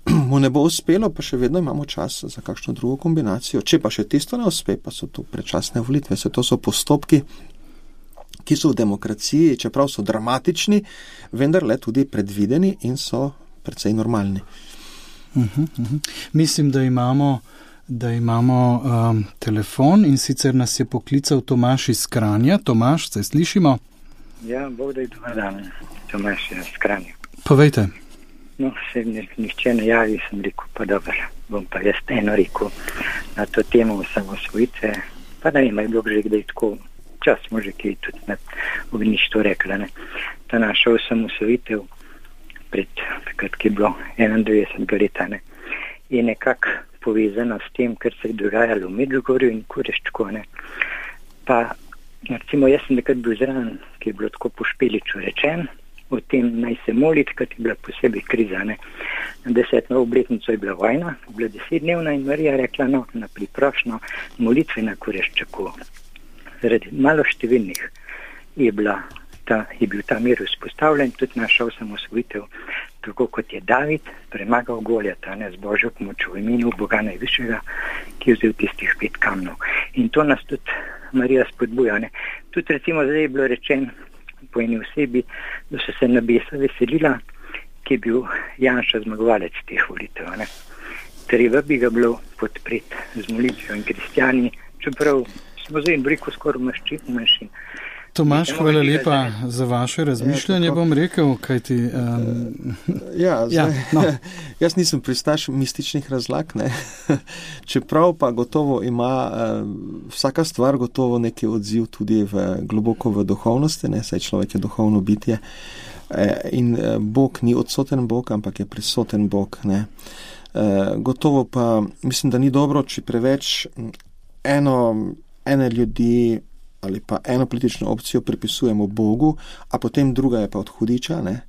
mu ne bo uspelo, pa še vedno imamo čas za kakšno drugo kombinacijo. Če pa še tisto ne uspe, pa so to predčasne volitve. To so postopki, ki so v demokraciji, čeprav so dramatični, vendar le tudi predvideni in so precej normalni. Mislim, da imamo telefon in sicer nas je poklical Tomaž iz Kranja. Tomaž, se slišimo? Ja, Bog da je dober dan, Tomaž iz Kranja. Povejte. No, se nihče ne javi, sem rekel, pa dobro, bom pa jaz eno rekel na to temo osamosvojitve, pa ne vem, je bilo že kdaj tako, čas smo že kaj tudi na ognjištu rekla, ne. Ta naša osamosvojitev pred, takrat, ki je bilo 91 leta, ne, je nekako povezana s tem, kar se je dogajalo v Medžugorju in Kureščku, ne. Pa, recimo, jaz sem nekaj bil zraven, ki je bilo tako po Špeliču rečen, o tem naj se moliti, kad je bila posebej kriza, ne. Na 10. obletnico je bila vojna, bila 10-dnevna in Marija rekla, no, na priprošno molitve na Kureščaku. Zaradi malo številnih je bil ta mir vzpostavljen, tudi naša osamosvojitev, tako kot je David premagal Goljata, ne, z Božjo pomočjo v imenu Boga najvišjega, ki je vzel tistih 5 kamnov. In to nas tudi Marija spodbuja, ne. Tudi recimo zdaj je bilo rečeno po eni osebi, da so se nebesa veselila, ki je bil Janša zmagovalec teh volitev, ne. Treba bi ga bilo podpreti z molitvijo in kristjani, čeprav smo zdaj in briko skoraj manjšin. Tomaž, hvala lepa za vaše razmišljanje, bom rekel, kajti... Jaz nisem pristaš mističnih razlag, ne. Čeprav pa gotovo ima vsaka stvar gotovo neki odziv tudi globoko v duhovnosti, ne, saj človek je duhovno bitje. In Bog ni odsoten Bog, ampak je prisoten Bog, ne. Gotovo pa mislim, da ni dobro, če preveč ene ljudi ali pa eno politično opcijo pripisujemo Bogu, a potem druga je pa od hudiča, ne.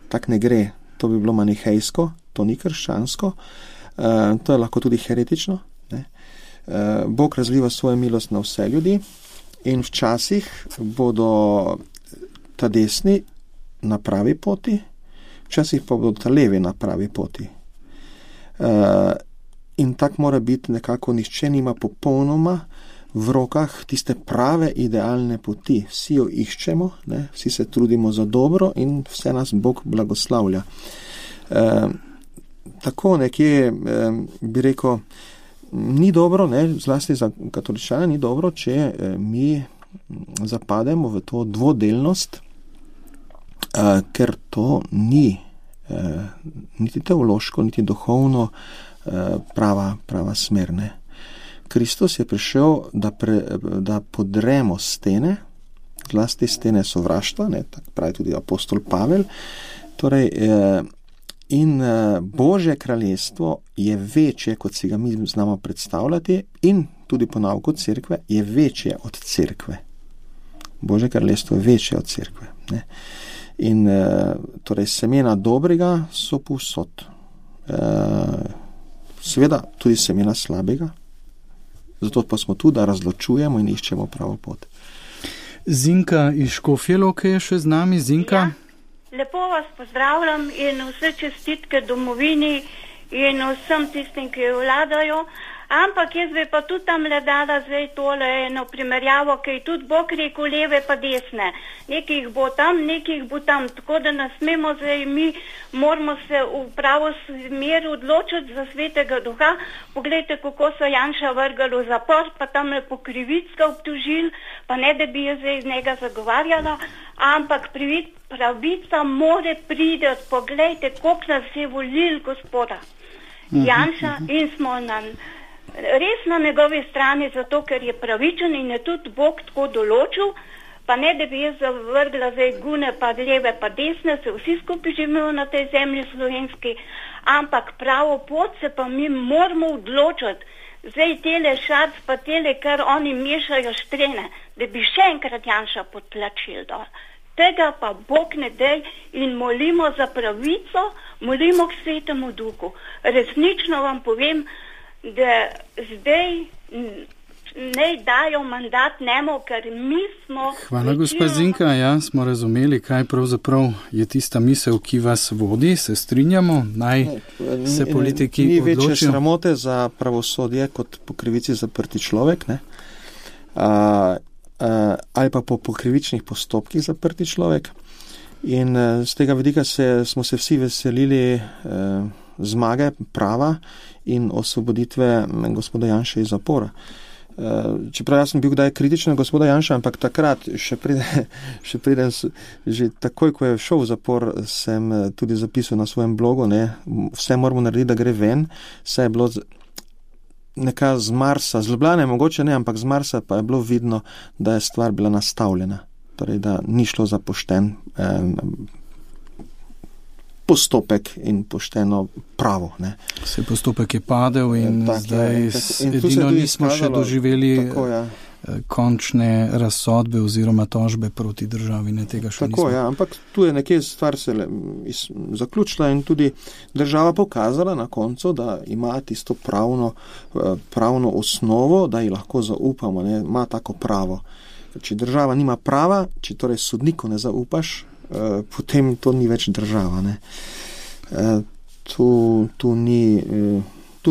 Tak ne gre. To bi bilo manihejsko, to ni krščansko, to je lahko tudi heretično, ne. Bog razliva svojo milost na vse ljudi in včasih bodo ta desni na pravi poti, včasih pa bodo ta levi na pravi poti. In tak mora biti nekako, nihče nima popolnoma v rokah tiste prave idealne poti. Vsi jo iščemo, ne? Vsi se trudimo za dobro in vse nas Bog blagoslavlja. Tako nekje bi rekel, ni dobro, ne? Zlasti za katoličane ni dobro, če mi zapademo v to dvodelnost, ker to ni niti teološko, niti duhovno prava smer, ne. Kristus je prišel, da podremo stene, zlasti stene sovraštva, ne, tako pravi tudi apostol Pavel. Torej, in Božje kraljestvo je večje, kot si ga mi znamo predstavljati, in tudi po nauku cerkve je večje od cerkve. Božje kraljestvo je večje od cerkve, ne. In torej semena dobrega so povsod. Seveda tudi semena slabega. Zato pa smo tu, da razločujemo in iščemo pravo pot. Zinka iz Škofje Loke je še z nami. Zinka? Ja, lepo vas pozdravljam in vse čestitke domovini in vsem tistim, ki vladajo. Ampak jaz bi pa tudi tam le dala zdaj tole eno primerjavo, ki je tudi Bog rekel leve pa desne. Nekih bo tam, nekih bo tam. Tako da ne smemo zdaj, mi moramo se v pravo smer odločiti za Svetega Duha. Poglejte, kako so Janša vrgali v zapor, pa tam le po krivicka obtožili, pa ne, da bi jaz zdaj iz njega zagovarjala, ampak pravica more priti. Poglejte, koliko nas je volil Gospoda Janša in smo res na njegovi strani, zato ker je pravičen in je tudi Bog tako določil, pa ne, da bi jaz zavrgla zdaj gune pa leve pa desne, se vsi skupaj živimo na tej zemlji slovenski, ampak pravo pot se pa mi moramo odločiti. Zdaj tele šac pa tele, kar oni mešajo štrene, da bi še enkrat Janša potlačili dol. Tega pa Bog ne dej in molimo za pravico, molimo k Svetemu Duhu. Resnično vam povem, da zdaj ne dajo mandat njemu, ker mi smo... Hvala, gospa Zinka. Ja, smo razumeli, kaj pravzaprav je tista misel, ki vas vodi. Se strinjamo, naj se politiki odločijo. Ni večje sramote za pravosodje kot po krivici zaprti človek, ne? Ali pa po krivičnih postopkih zaprti človek. In z tega vidika smo se vsi veselili zmage prava in osvoboditve gospoda Janše iz zapora. Čeprav jaz sem bil kdaj kritičen gospoda Janša, ampak takrat, še preden, že takoj, ko je šel v zapor, sem tudi zapisal na svojem blogu, ne, vse moramo narediti, da gre ven, vse je bilo neka z Marsa, z Ljubljane mogoče ne, ampak z Marsa pa je bilo vidno, da je stvar bila nastavljena, torej da ni šlo za pošten postopek in pošteno pravo. Ne. Se postopek je padel in zdaj edino nismo še doživeli končne razsodbe oziroma tožbe proti državi. Ne, tega še nismo. Ampak tu je nekje stvar se zaključila in tudi država pokazala na koncu, da ima tisto pravno osnovo, da ji lahko zaupamo, ne, ima tako pravo. Če država nima prava, če torej sodniku ne zaupaš, potem to ni več država. Ne. Tu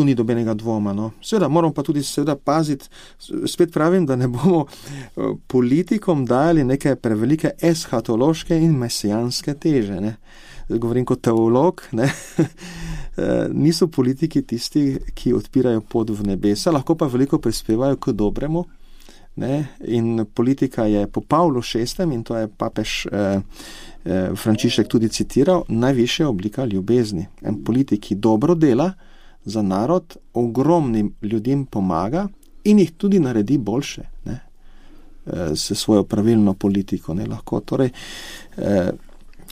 ni dobenega dvoma. No. Seveda, moramo pa tudi paziti, spet pravim, da ne bomo politikom dajali neke prevelike eschatološke in mesijanske teže. Ne. Govorim kot teolog, ne. Niso politiki tisti, ki odpirajo pot v nebesa, lahko pa veliko prispevajo k dobremu. Ne, in politika je po Pavlu VI, in to je papež Frančišek tudi citiral, najvišja oblika ljubezni. En politik, ki dobro dela za narod, ogromnim ljudem pomaga in jih tudi naredi boljše, ne, s svojo pravilno politiko. Ne, lahko. Torej,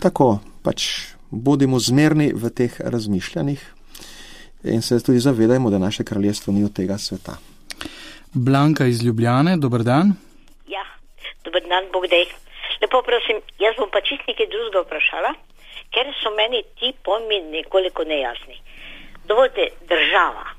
tako pač bodimo zmerni v teh razmišljanjih in se tudi zavedajmo, da naše kraljestvo ni od tega sveta. Blanka iz Ljubljane, dober dan. Ja, dober dan, Bog dej. Lepo prosim, jaz bom pa čist nekaj drugega vprašala, ker so meni ti pojmi nekoliko nejasni. Dovolite, država.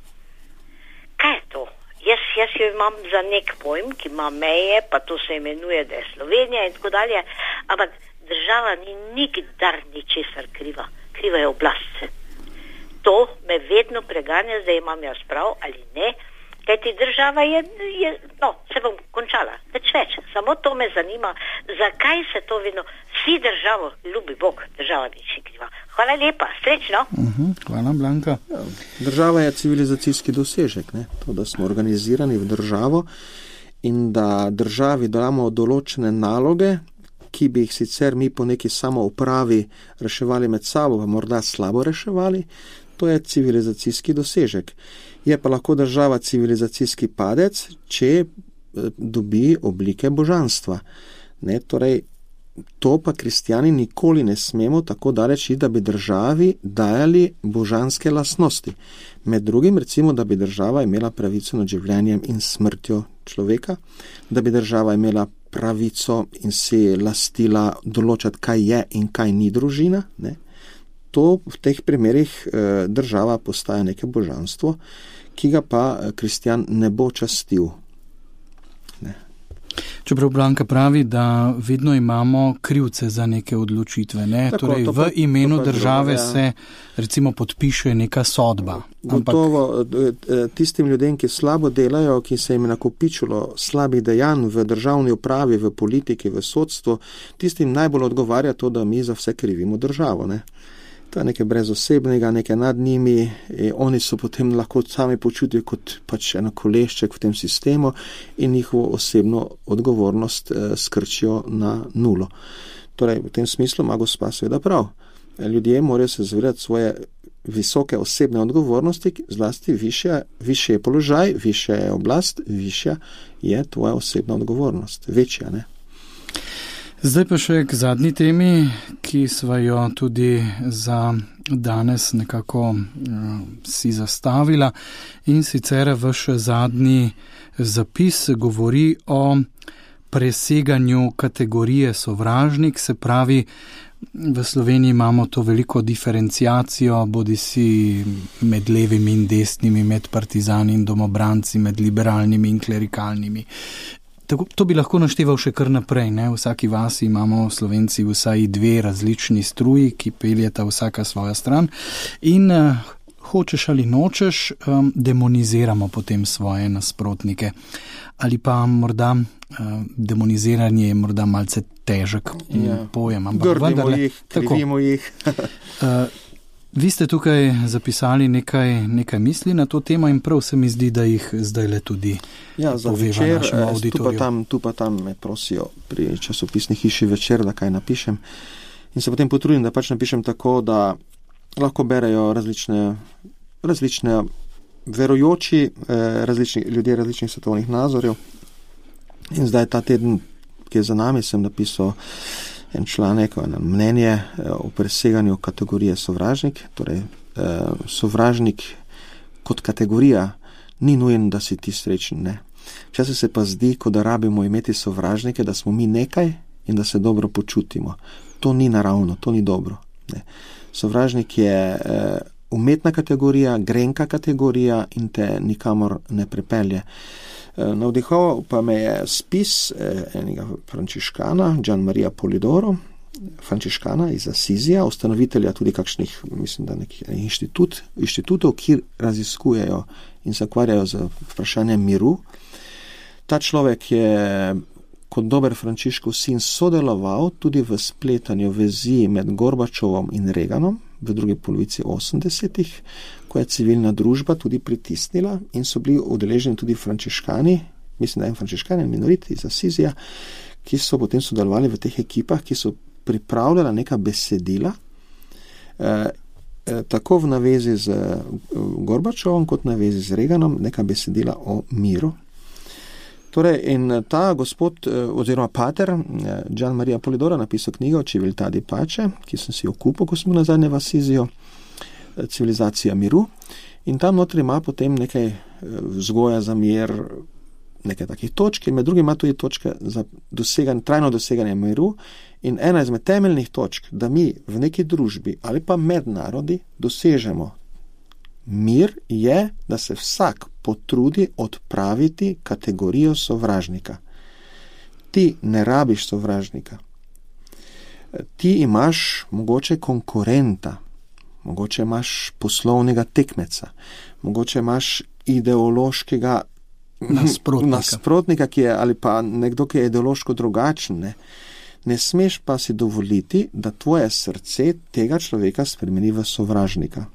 Kaj je to? Jaz jo imam za nek pojem, ki ima meje, pa to se imenuje, da je Slovenija in tako dalje, ampak država ni nikdar ničesar kriva. Kriva je oblast. To me vedno preganja, zdaj imam jaz prav ali ne. Kajti država je, se bom končala, več, samo to me zanima, zakaj se to vedno, vsi državo, ljubi Bog, država nič kriva. Hvala lepa, srečno. Hvala, Blanka. Država je civilizacijski dosežek, ne? To, da smo organizirani v državo in da državi damo določene naloge, ki bi jih sicer mi po neki samoupravi reševali med sabo, pa morda slabo reševali, to je civilizacijski dosežek. Je pa lahko država civilizacijski padec, če dobi oblike božanstva. Ne, torej, to pa kristjani nikoli ne smemo tako daleč, da bi državi dajali božanske lastnosti. Med drugim, recimo, da bi država imela pravico nad življenjem in smrtjo človeka, da bi država imela pravico in si lastila določati, kaj je in kaj ni družina. Ne. To v teh primerih država postaja neke božanstvo, ki ga pa kristjan ne bo častil. Ne. Čeprav Blanka pravi, da vedno imamo krivce za neke odločitve. Ne? Tako, torej, v imenu države se recimo podpiše neka sodba. Gotovo tistim ljudem, ki slabo delajo, ki se jim je nakopičilo slabih dejanj v državni upravi, v politiki, v sodstvu, tistim najbolj odgovarja to, da mi za vse krivimo državo. Ne? To je nekaj brezosebnega, nekaj nad njimi, oni so potem lahko sami počutijo kot pač eno kolešček v tem sistemu in njihovo osebno odgovornost skrčijo na nulo. Torej, v tem smislu ima gospa seveda prav. Ljudje morajo se zavedati svoje visoke osebne odgovornosti, zlasti višje je položaj, višja je oblast, višja je tvoja osebna odgovornost, večja, ne? Zdaj pa še k zadnji temi, ki sva jo tudi za danes nekako si zastavila, in sicer vaš zadnji zapis govori o preseganju kategorije sovražnik, se pravi, v Sloveniji imamo to veliko diferenciacijo, bodisi med levimi in desnimi, med partizani in domobranci, med liberalnimi in klerikalnimi. To bi lahko našteval še kar naprej, ne? V vsaki vasi imamo Slovenci vsaj 2 različni struji, ki peljeta vsaka svoja stran in hočeš ali nočeš, demoniziramo potem svoje nasprotnike. Ali pa morda demoniziranje je morda malce težek pojem. Grdimo jih, krivimo jih. Vi ste tukaj zapisali nekaj misli na to temo in prav se mi zdi, da jih zdaj le tudi poveva našemu auditoriju. Tu pa tam me prosijo pri časopisni hiši Večer, da kaj napišem. In se potem potrudim, da pač napišem tako, da lahko berejo različne verujoči, ljudje različnih svetovnih nazorjev. In zdaj ta teden, ki je za nami, sem napisal en članek, eno mnenje o preseganju kategorije sovražnik. Torej, sovražnik kot kategorija ni nujen, da si ti srečen, ne. Včasih se pa zdi, kot da rabimo imeti sovražnike, da smo mi nekaj in da se dobro počutimo. To ni naravno, to ni dobro, ne. Sovražnik je umetna kategorija, grenka kategorija in te nikamor ne pripelje. Navdihoval pa me je spis enega frančiškana, Gian Maria Polidoro, frančiškana iz Asizija, ustanovitelja tudi kakšnih, mislim, da nekih inštitutov, ki raziskujejo in se ukvarjajo z vprašanjem miru. Ta človek je kot dober Frančiškov sin sodeloval tudi v spletanju vezi med Gorbačovom in Reaganom v drugi polovici 80-ih, ko je civilna družba tudi pritisnila in so bili udeleženi tudi frančiškani, mislim, da je frančiškani in minoriti iz Asizija, ki so potem sodelovali v teh ekipah, ki so pripravljala neka besedila, tako v navezi z Gorbačovom kot na vezi z Reaganom, neka besedila o miru. Torej, in ta gospod, oziroma pater, Gian Maria Polidoro, napisal knjigo Civiltà di Pace, ki sem si jo kupil, ko smo nazadnje v Asizijo, Civilizacija miru. In tam notri ima potem nekaj vzgoja za mir, nekaj takih točk, in med drugim ima tudi točke za trajno doseganje miru. In ena izmed temeljnih točk, da mi v neki družbi ali pa med narodi dosežemo mir, je, da se vsak potrudi odpraviti kategorijo sovražnika. Ti ne rabiš sovražnika. Ti imaš mogoče konkurenta, mogoče imaš poslovnega tekmeca, mogoče imaš ideološkega nasprotnika, ki je, ali pa nekdo, ki je ideološko drugačen. Ne smeš pa si dovoliti, da tvoje srce tega človeka spremeni v sovražnika.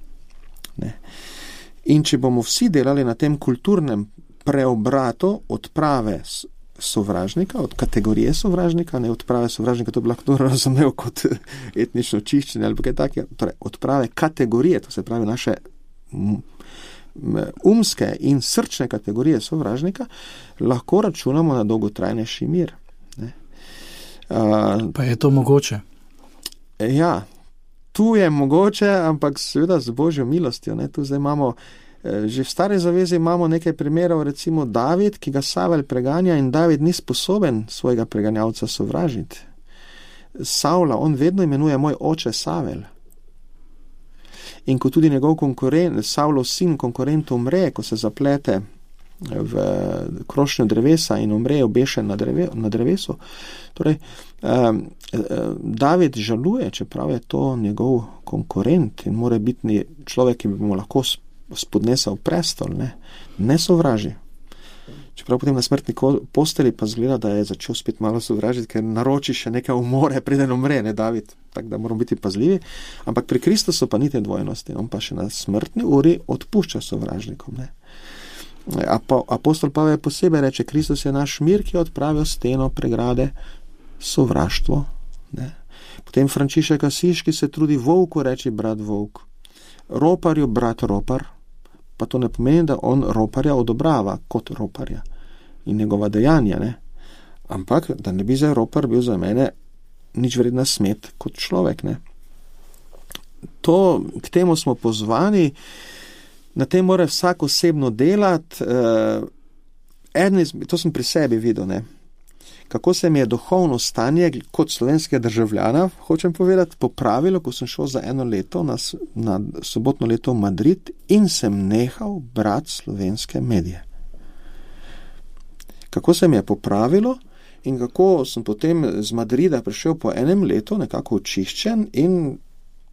Ne. In če bomo vsi delali na tem kulturnem preobratu odprave sovražnika, od kategorije sovražnika, ne odprave sovražnika, to bi lahko razumel kot etnično čiščenje ali kaj takega, torej odprave kategorije, to se pravi naše umske in srčne kategorije sovražnika, lahko računamo na dolgotrajnejši mir. Ne. Pa je to mogoče? Ja. Tu je mogoče, ampak seveda z Božjo milostjo. Ne? Tu zdaj imamo, že v Stari zavezi imamo nekaj primerov, recimo David, ki ga Savel preganja in David ni sposoben svojega preganjavca sovražiti. Savla, on vedno imenuje moj oče Savel. In ko tudi njegov konkurent, Savlov sin konkurent umre, ko se zaplete v krošnjo drevesa in umre obešen na drevesu. Torej, David žaluje, čeprav je to njegov konkurent in mora biti človek, ki bi mu lahko spodnesel prestol, ne sovraži. Čeprav potem na smrtni posteli pa zgleda, da je začel spet malo sovražiti, ker naroči še nekaj umore, preden umre, ne David. Tako da moramo biti pazljivi. Ampak pri Kristusu pa ni te dvojnosti. On pa še na smrtni uri odpušča sovražnikom, ne. Apostol Pavel posebej reče, Kristus je naš mir, ki je odpravil steno pregrade, sovraštvo. Ne. Potem Frančišek Asiški se trudi volku reči brat volk, roparju brat ropar, pa to ne pomeni, da on roparja odobrava kot roparja in njegova dejanja, ne. Ampak, da ne bi za ropar bil za mene nič vredna smet kot človek, ne. K temu smo pozvani. Na tem mora vsak osebno delati. To sem pri sebi videl, ne. kako se mi je duhovno stanje kot slovenskega državljana, hočem povedati, popravilo, ko sem šel za eno leto na sobotno leto v Madrid in sem nehal brati slovenske medije. Kako se mi je popravilo in kako sem potem z Madrida prišel po enem letu nekako očiščen in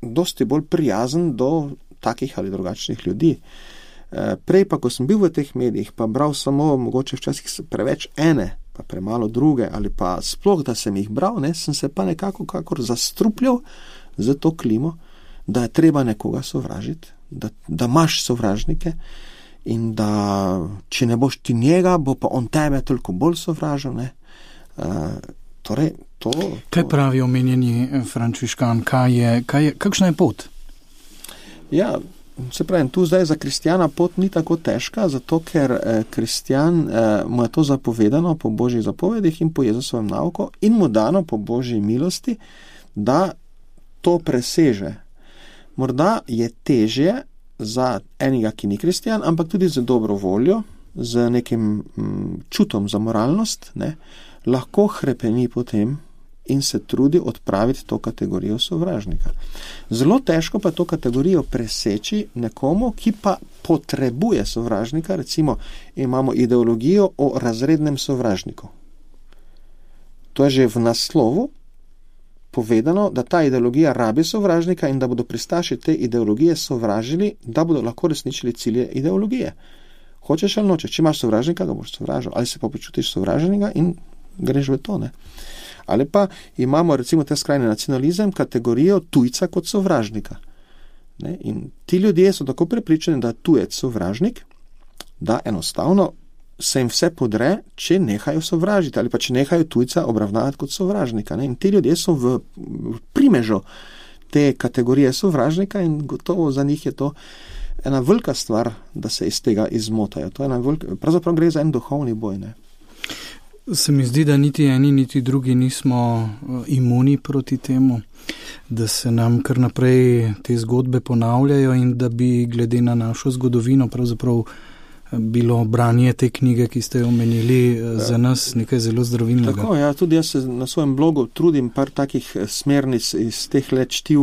dosti bolj prijazen do takih ali drugačnih ljudi. Prej pa, ko sem bil v teh medijih, pa bral samo mogoče včasih preveč ene, pa premalo druge, ali pa sploh, da sem jih bral, sem se pa nekako kakor zastrupljal za to klimo, da je treba nekoga sovražiti, da imaš sovražnike in da če ne boš ti njega, bo pa on tebe toliko bolj sovražil. Torej, Kaj pravi omenjeni frančiškan? Kakšna je pot? Ja, se pravi, tu zdaj za kristjana pot ni tako težka, zato ker kristjan mu je to zapovedano po Božjih zapovedih in po Jezusovem nauku in mu dano po Božji milosti, da to preseže. Morda je težje za enega, ki ni kristjan, ampak tudi za dobro voljo, z nekim čutom za moralnost, lahko hrepeni potem in se trudi odpraviti to kategorijo sovražnika. Zelo težko pa to kategorijo preseči nekomu, ki pa potrebuje sovražnika, recimo imamo ideologijo o razrednem sovražniku. To je že v naslovu povedano, da ta ideologija rabi sovražnika in da bodo pristaši te ideologije sovražili, da bodo lahko resničili cilje ideologije. Hočeš ali nočeš, če imaš sovražnika, ga boš sovražil, ali se pa počutiš sovraženega in greš v to, Ali pa imamo recimo ta skrajni nacionalizem, kategorijo tujca kot sovražnika. In ti ljudje so tako prepričani, da tujec sovražnik, da enostavno se jim vse podre, če nehajo sovražiti ali pa če nehajo tujca obravnavati kot sovražnika. In ti ljudje so v primežu te kategorije sovražnika in gotovo za njih je to ena velika stvar, da se iz tega izmotajo. Pravzaprav gre za en duhovni boj. Se mi zdi, da niti eni, niti drugi nismo imuni proti temu, da se nam kar naprej te zgodbe ponavljajo in da bi glede na našo zgodovino pravzaprav bilo branje te knjige, ki ste jo omenili, za nas nekaj zelo zdravilnega. Tako, ja, tudi jaz se na svojem blogu trudim par takih smernic iz teh let čtiv,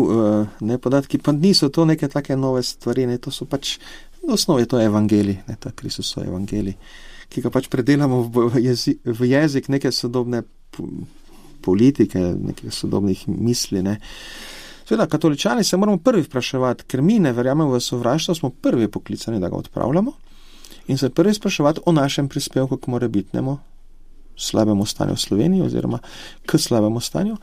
podatki, pa niso to neke take nove stvari, to so pač, v osnovi to je evangelij, ta Kristusov evangelij, ki ga pač predelamo v jezik neke sodobne politike, nekih sodobnih misli. Seveda, katoličani se moramo prvi vpraševati, ker mi ne verjamemo v sovraštvo, smo prvi poklicani, da ga odpravljamo in se prvi spraševati o našem prispevku k morebitnemu slabemu stanju v Sloveniji oziroma k slabemu stanju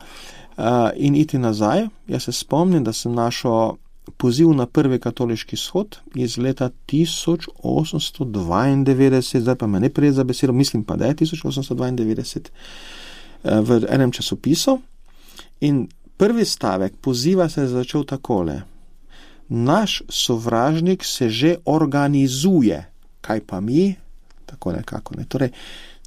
in iti nazaj. Jaz se spomnim, da sem našel poziv na prvi katoliški shod iz leta 1892, zdaj pa me ne prijeti za besedo, mislim pa, da je 1892, v enem časopisu in prvi stavek poziva se je začel takole: naš sovražnik se že organizuje, kaj pa mi? Tako nekako. Torej,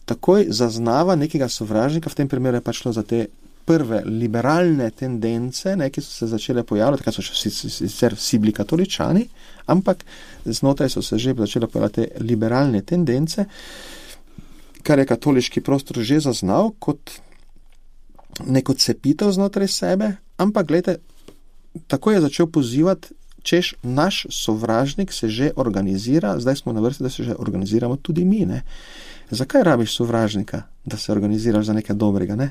takoj zaznava nekega sovražnika, v tem primeru je pa šlo za te prve liberalne tendence, ki so se začele pojavljati, takrat so sicer vsi bili katoličani, ampak znotraj so se že začele pojavljati te liberalne tendence, kar je katoliški prostor že zaznal kot neko cepitev znotraj sebe, ampak gledajte, tako je začel pozivati, češ naš sovražnik se že organizira, zdaj smo na vrsti, da se že organiziramo tudi mi. Zakaj rabiš sovražnika, da se organiziraš za nekaj dobrega,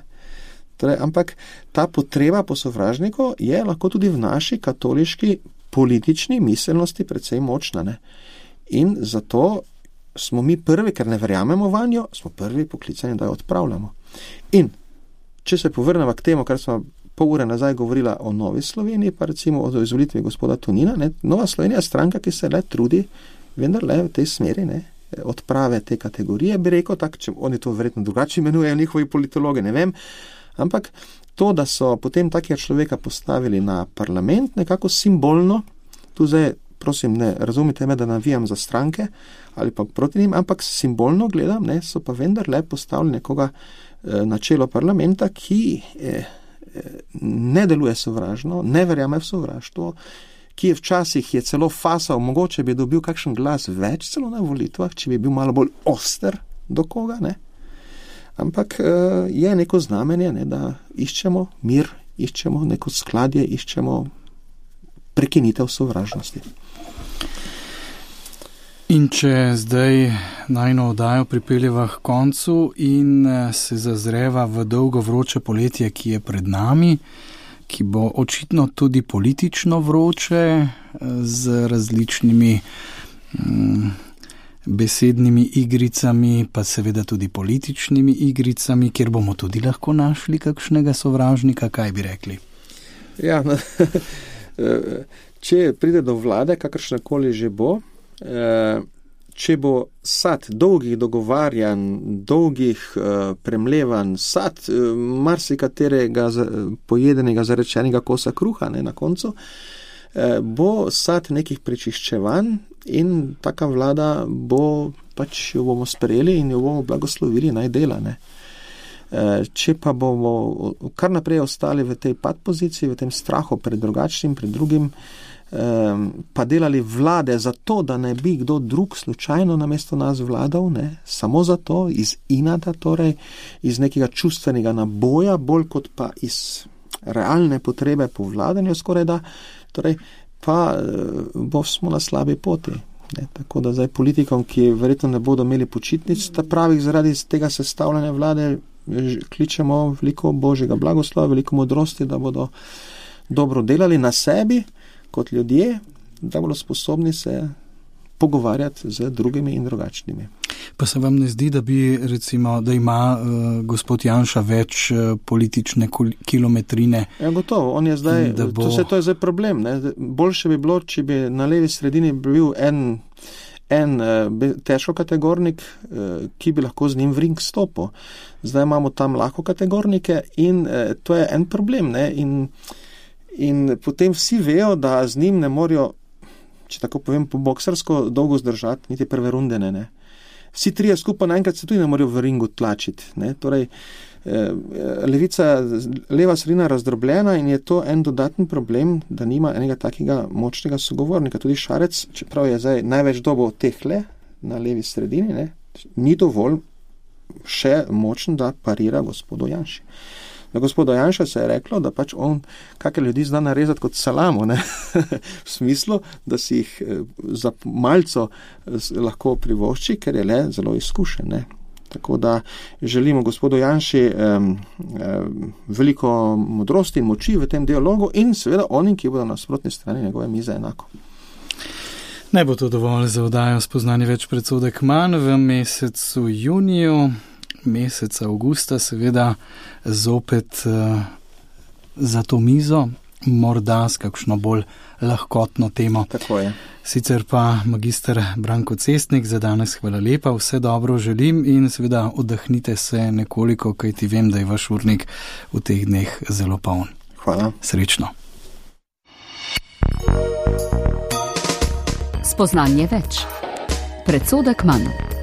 Torej, ampak ta potreba po sovražniku je lahko tudi v naši katoliški politični miselnosti precej močna. In zato smo mi prvi, ker ne verjamemo vanjo, smo prvi poklicani, da jo odpravljamo. In če se povrnemo k temu, kar smo pol ure nazaj govorila o Novi Sloveniji, pa recimo o izvolitvi gospoda Tonina, Nova Slovenija je stranka, ki se le trudi, vendar le v tej smeri, odprave te kategorije, bi rekel, tako, če oni to verjetno drugače imenujejo njihovi politologi, ne vem, ampak to, da so potem takega človeka postavili na parlament, nekako simbolno, tu zdaj, prosim, ne razumite me, da navijam za stranke ali pa proti njim, ampak simbolno gledam, so pa vendarle postavili nekoga na čelo parlamenta, ki ne deluje sovražno, ne verjame v sovraštvo, ki je včasih celo fasal, mogoče bi dobil kakšen glas več celo na volitvah, če bi bil malo bolj oster do koga, Ampak je neko znamenje, ne, da iščemo mir, iščemo neko skladje, iščemo prekinitev sovražnosti. In če zdaj najino oddajo pripeljeva k koncu in se zazreva v dolgo vroče poletje, ki je pred nami, ki bo očitno tudi politično vroče, z različnimi besednimi igricami, pa seveda tudi političnimi igricami, kjer bomo tudi lahko našli kakšnega sovražnika, kaj bi rekli? Ja, če pride do vlade, kakršnakoli že bo, če bo sad dolgih dogovarjanj, dolgih premlevanj, sad marsikaterega pojedenega, zarečenega kosa kruha, ne, na koncu, bo sad nekih prečiščevanj in taka vlada bo, pač jo bomo sprejeli in jo bomo blagoslovili, naj dela, ne. Če pa bomo kar naprej ostali v tej poziciji, v tem strahu pred drugačnim, pred drugim, pa delali vlade zato, da ne bi kdo drug slučajno namesto nas vladal, ne, samo zato, iz inata, torej iz nekega čustvenega naboja, bolj kot pa iz realne potrebe po vladanju skoraj da, torej pa smo na slabi poti. Ne, tako da zdaj politikom, ki verjetno ne bodo imeli počitnic, pravih zaradi tega sestavljanja vlade, kličemo veliko božjega blagoslova, veliko modrosti, da bodo dobro delali na sebi kot ljudje, da bodo sposobni se pogovarjati z drugimi in drugačnimi. Pa se vam ne zdi, da bi recimo, da ima gospod Janša več politične kilometrine? Ja, gotovo, on je zdaj, to je zdaj problem, ne? Boljše bi bilo, če bi na levi sredini bil en težko kategornik, ki bi lahko z njim v ring stopil. Zdaj imamo tam lahko kategornike in to je en problem, ne? In potem vsi vejo, da z njim ne morajo, če tako povem, po boksersko dolgo zdržati, niti prve runde ne. Vsi trije skupaj naenkrat se tudi ne morajo v ringu tlačiti, ne. Torej, leva sredina razdrobljena in je to en dodaten problem, da nima enega takega močnega sogovornika. Tudi Šarec, čeprav je zdaj največ dobo tehle na levi sredini, ne, ni dovolj še močen, da parira gospodu Janši. Na gospodu Janša se je reklo, da pač on kakšne ljudi zna narezati kot salamo, ne? V smislu, da si jih za malco lahko privošči, ker je le zelo izkušen, ne? Tako da želimo gospodu Janši veliko modrosti in moči v tem dialogu in seveda onim, ki bodo na nasprotni strani njegove mize enako. Ne bo to dovolj za oddajo Spoznanje več predsodek manj v mesecu juniju. Meseca avgusta seveda zopet za to mizo, morda s kakšno bolj lahkotno temo. Tako je. Sicer pa magister Branko Cestnik, za danes hvala lepa, vse dobro želim in seveda oddahnite se nekoliko, kajti vem, da je vaš urnik v teh dneh zelo poln. Hvala. Srečno. Spoznanje več. Predsodek manj.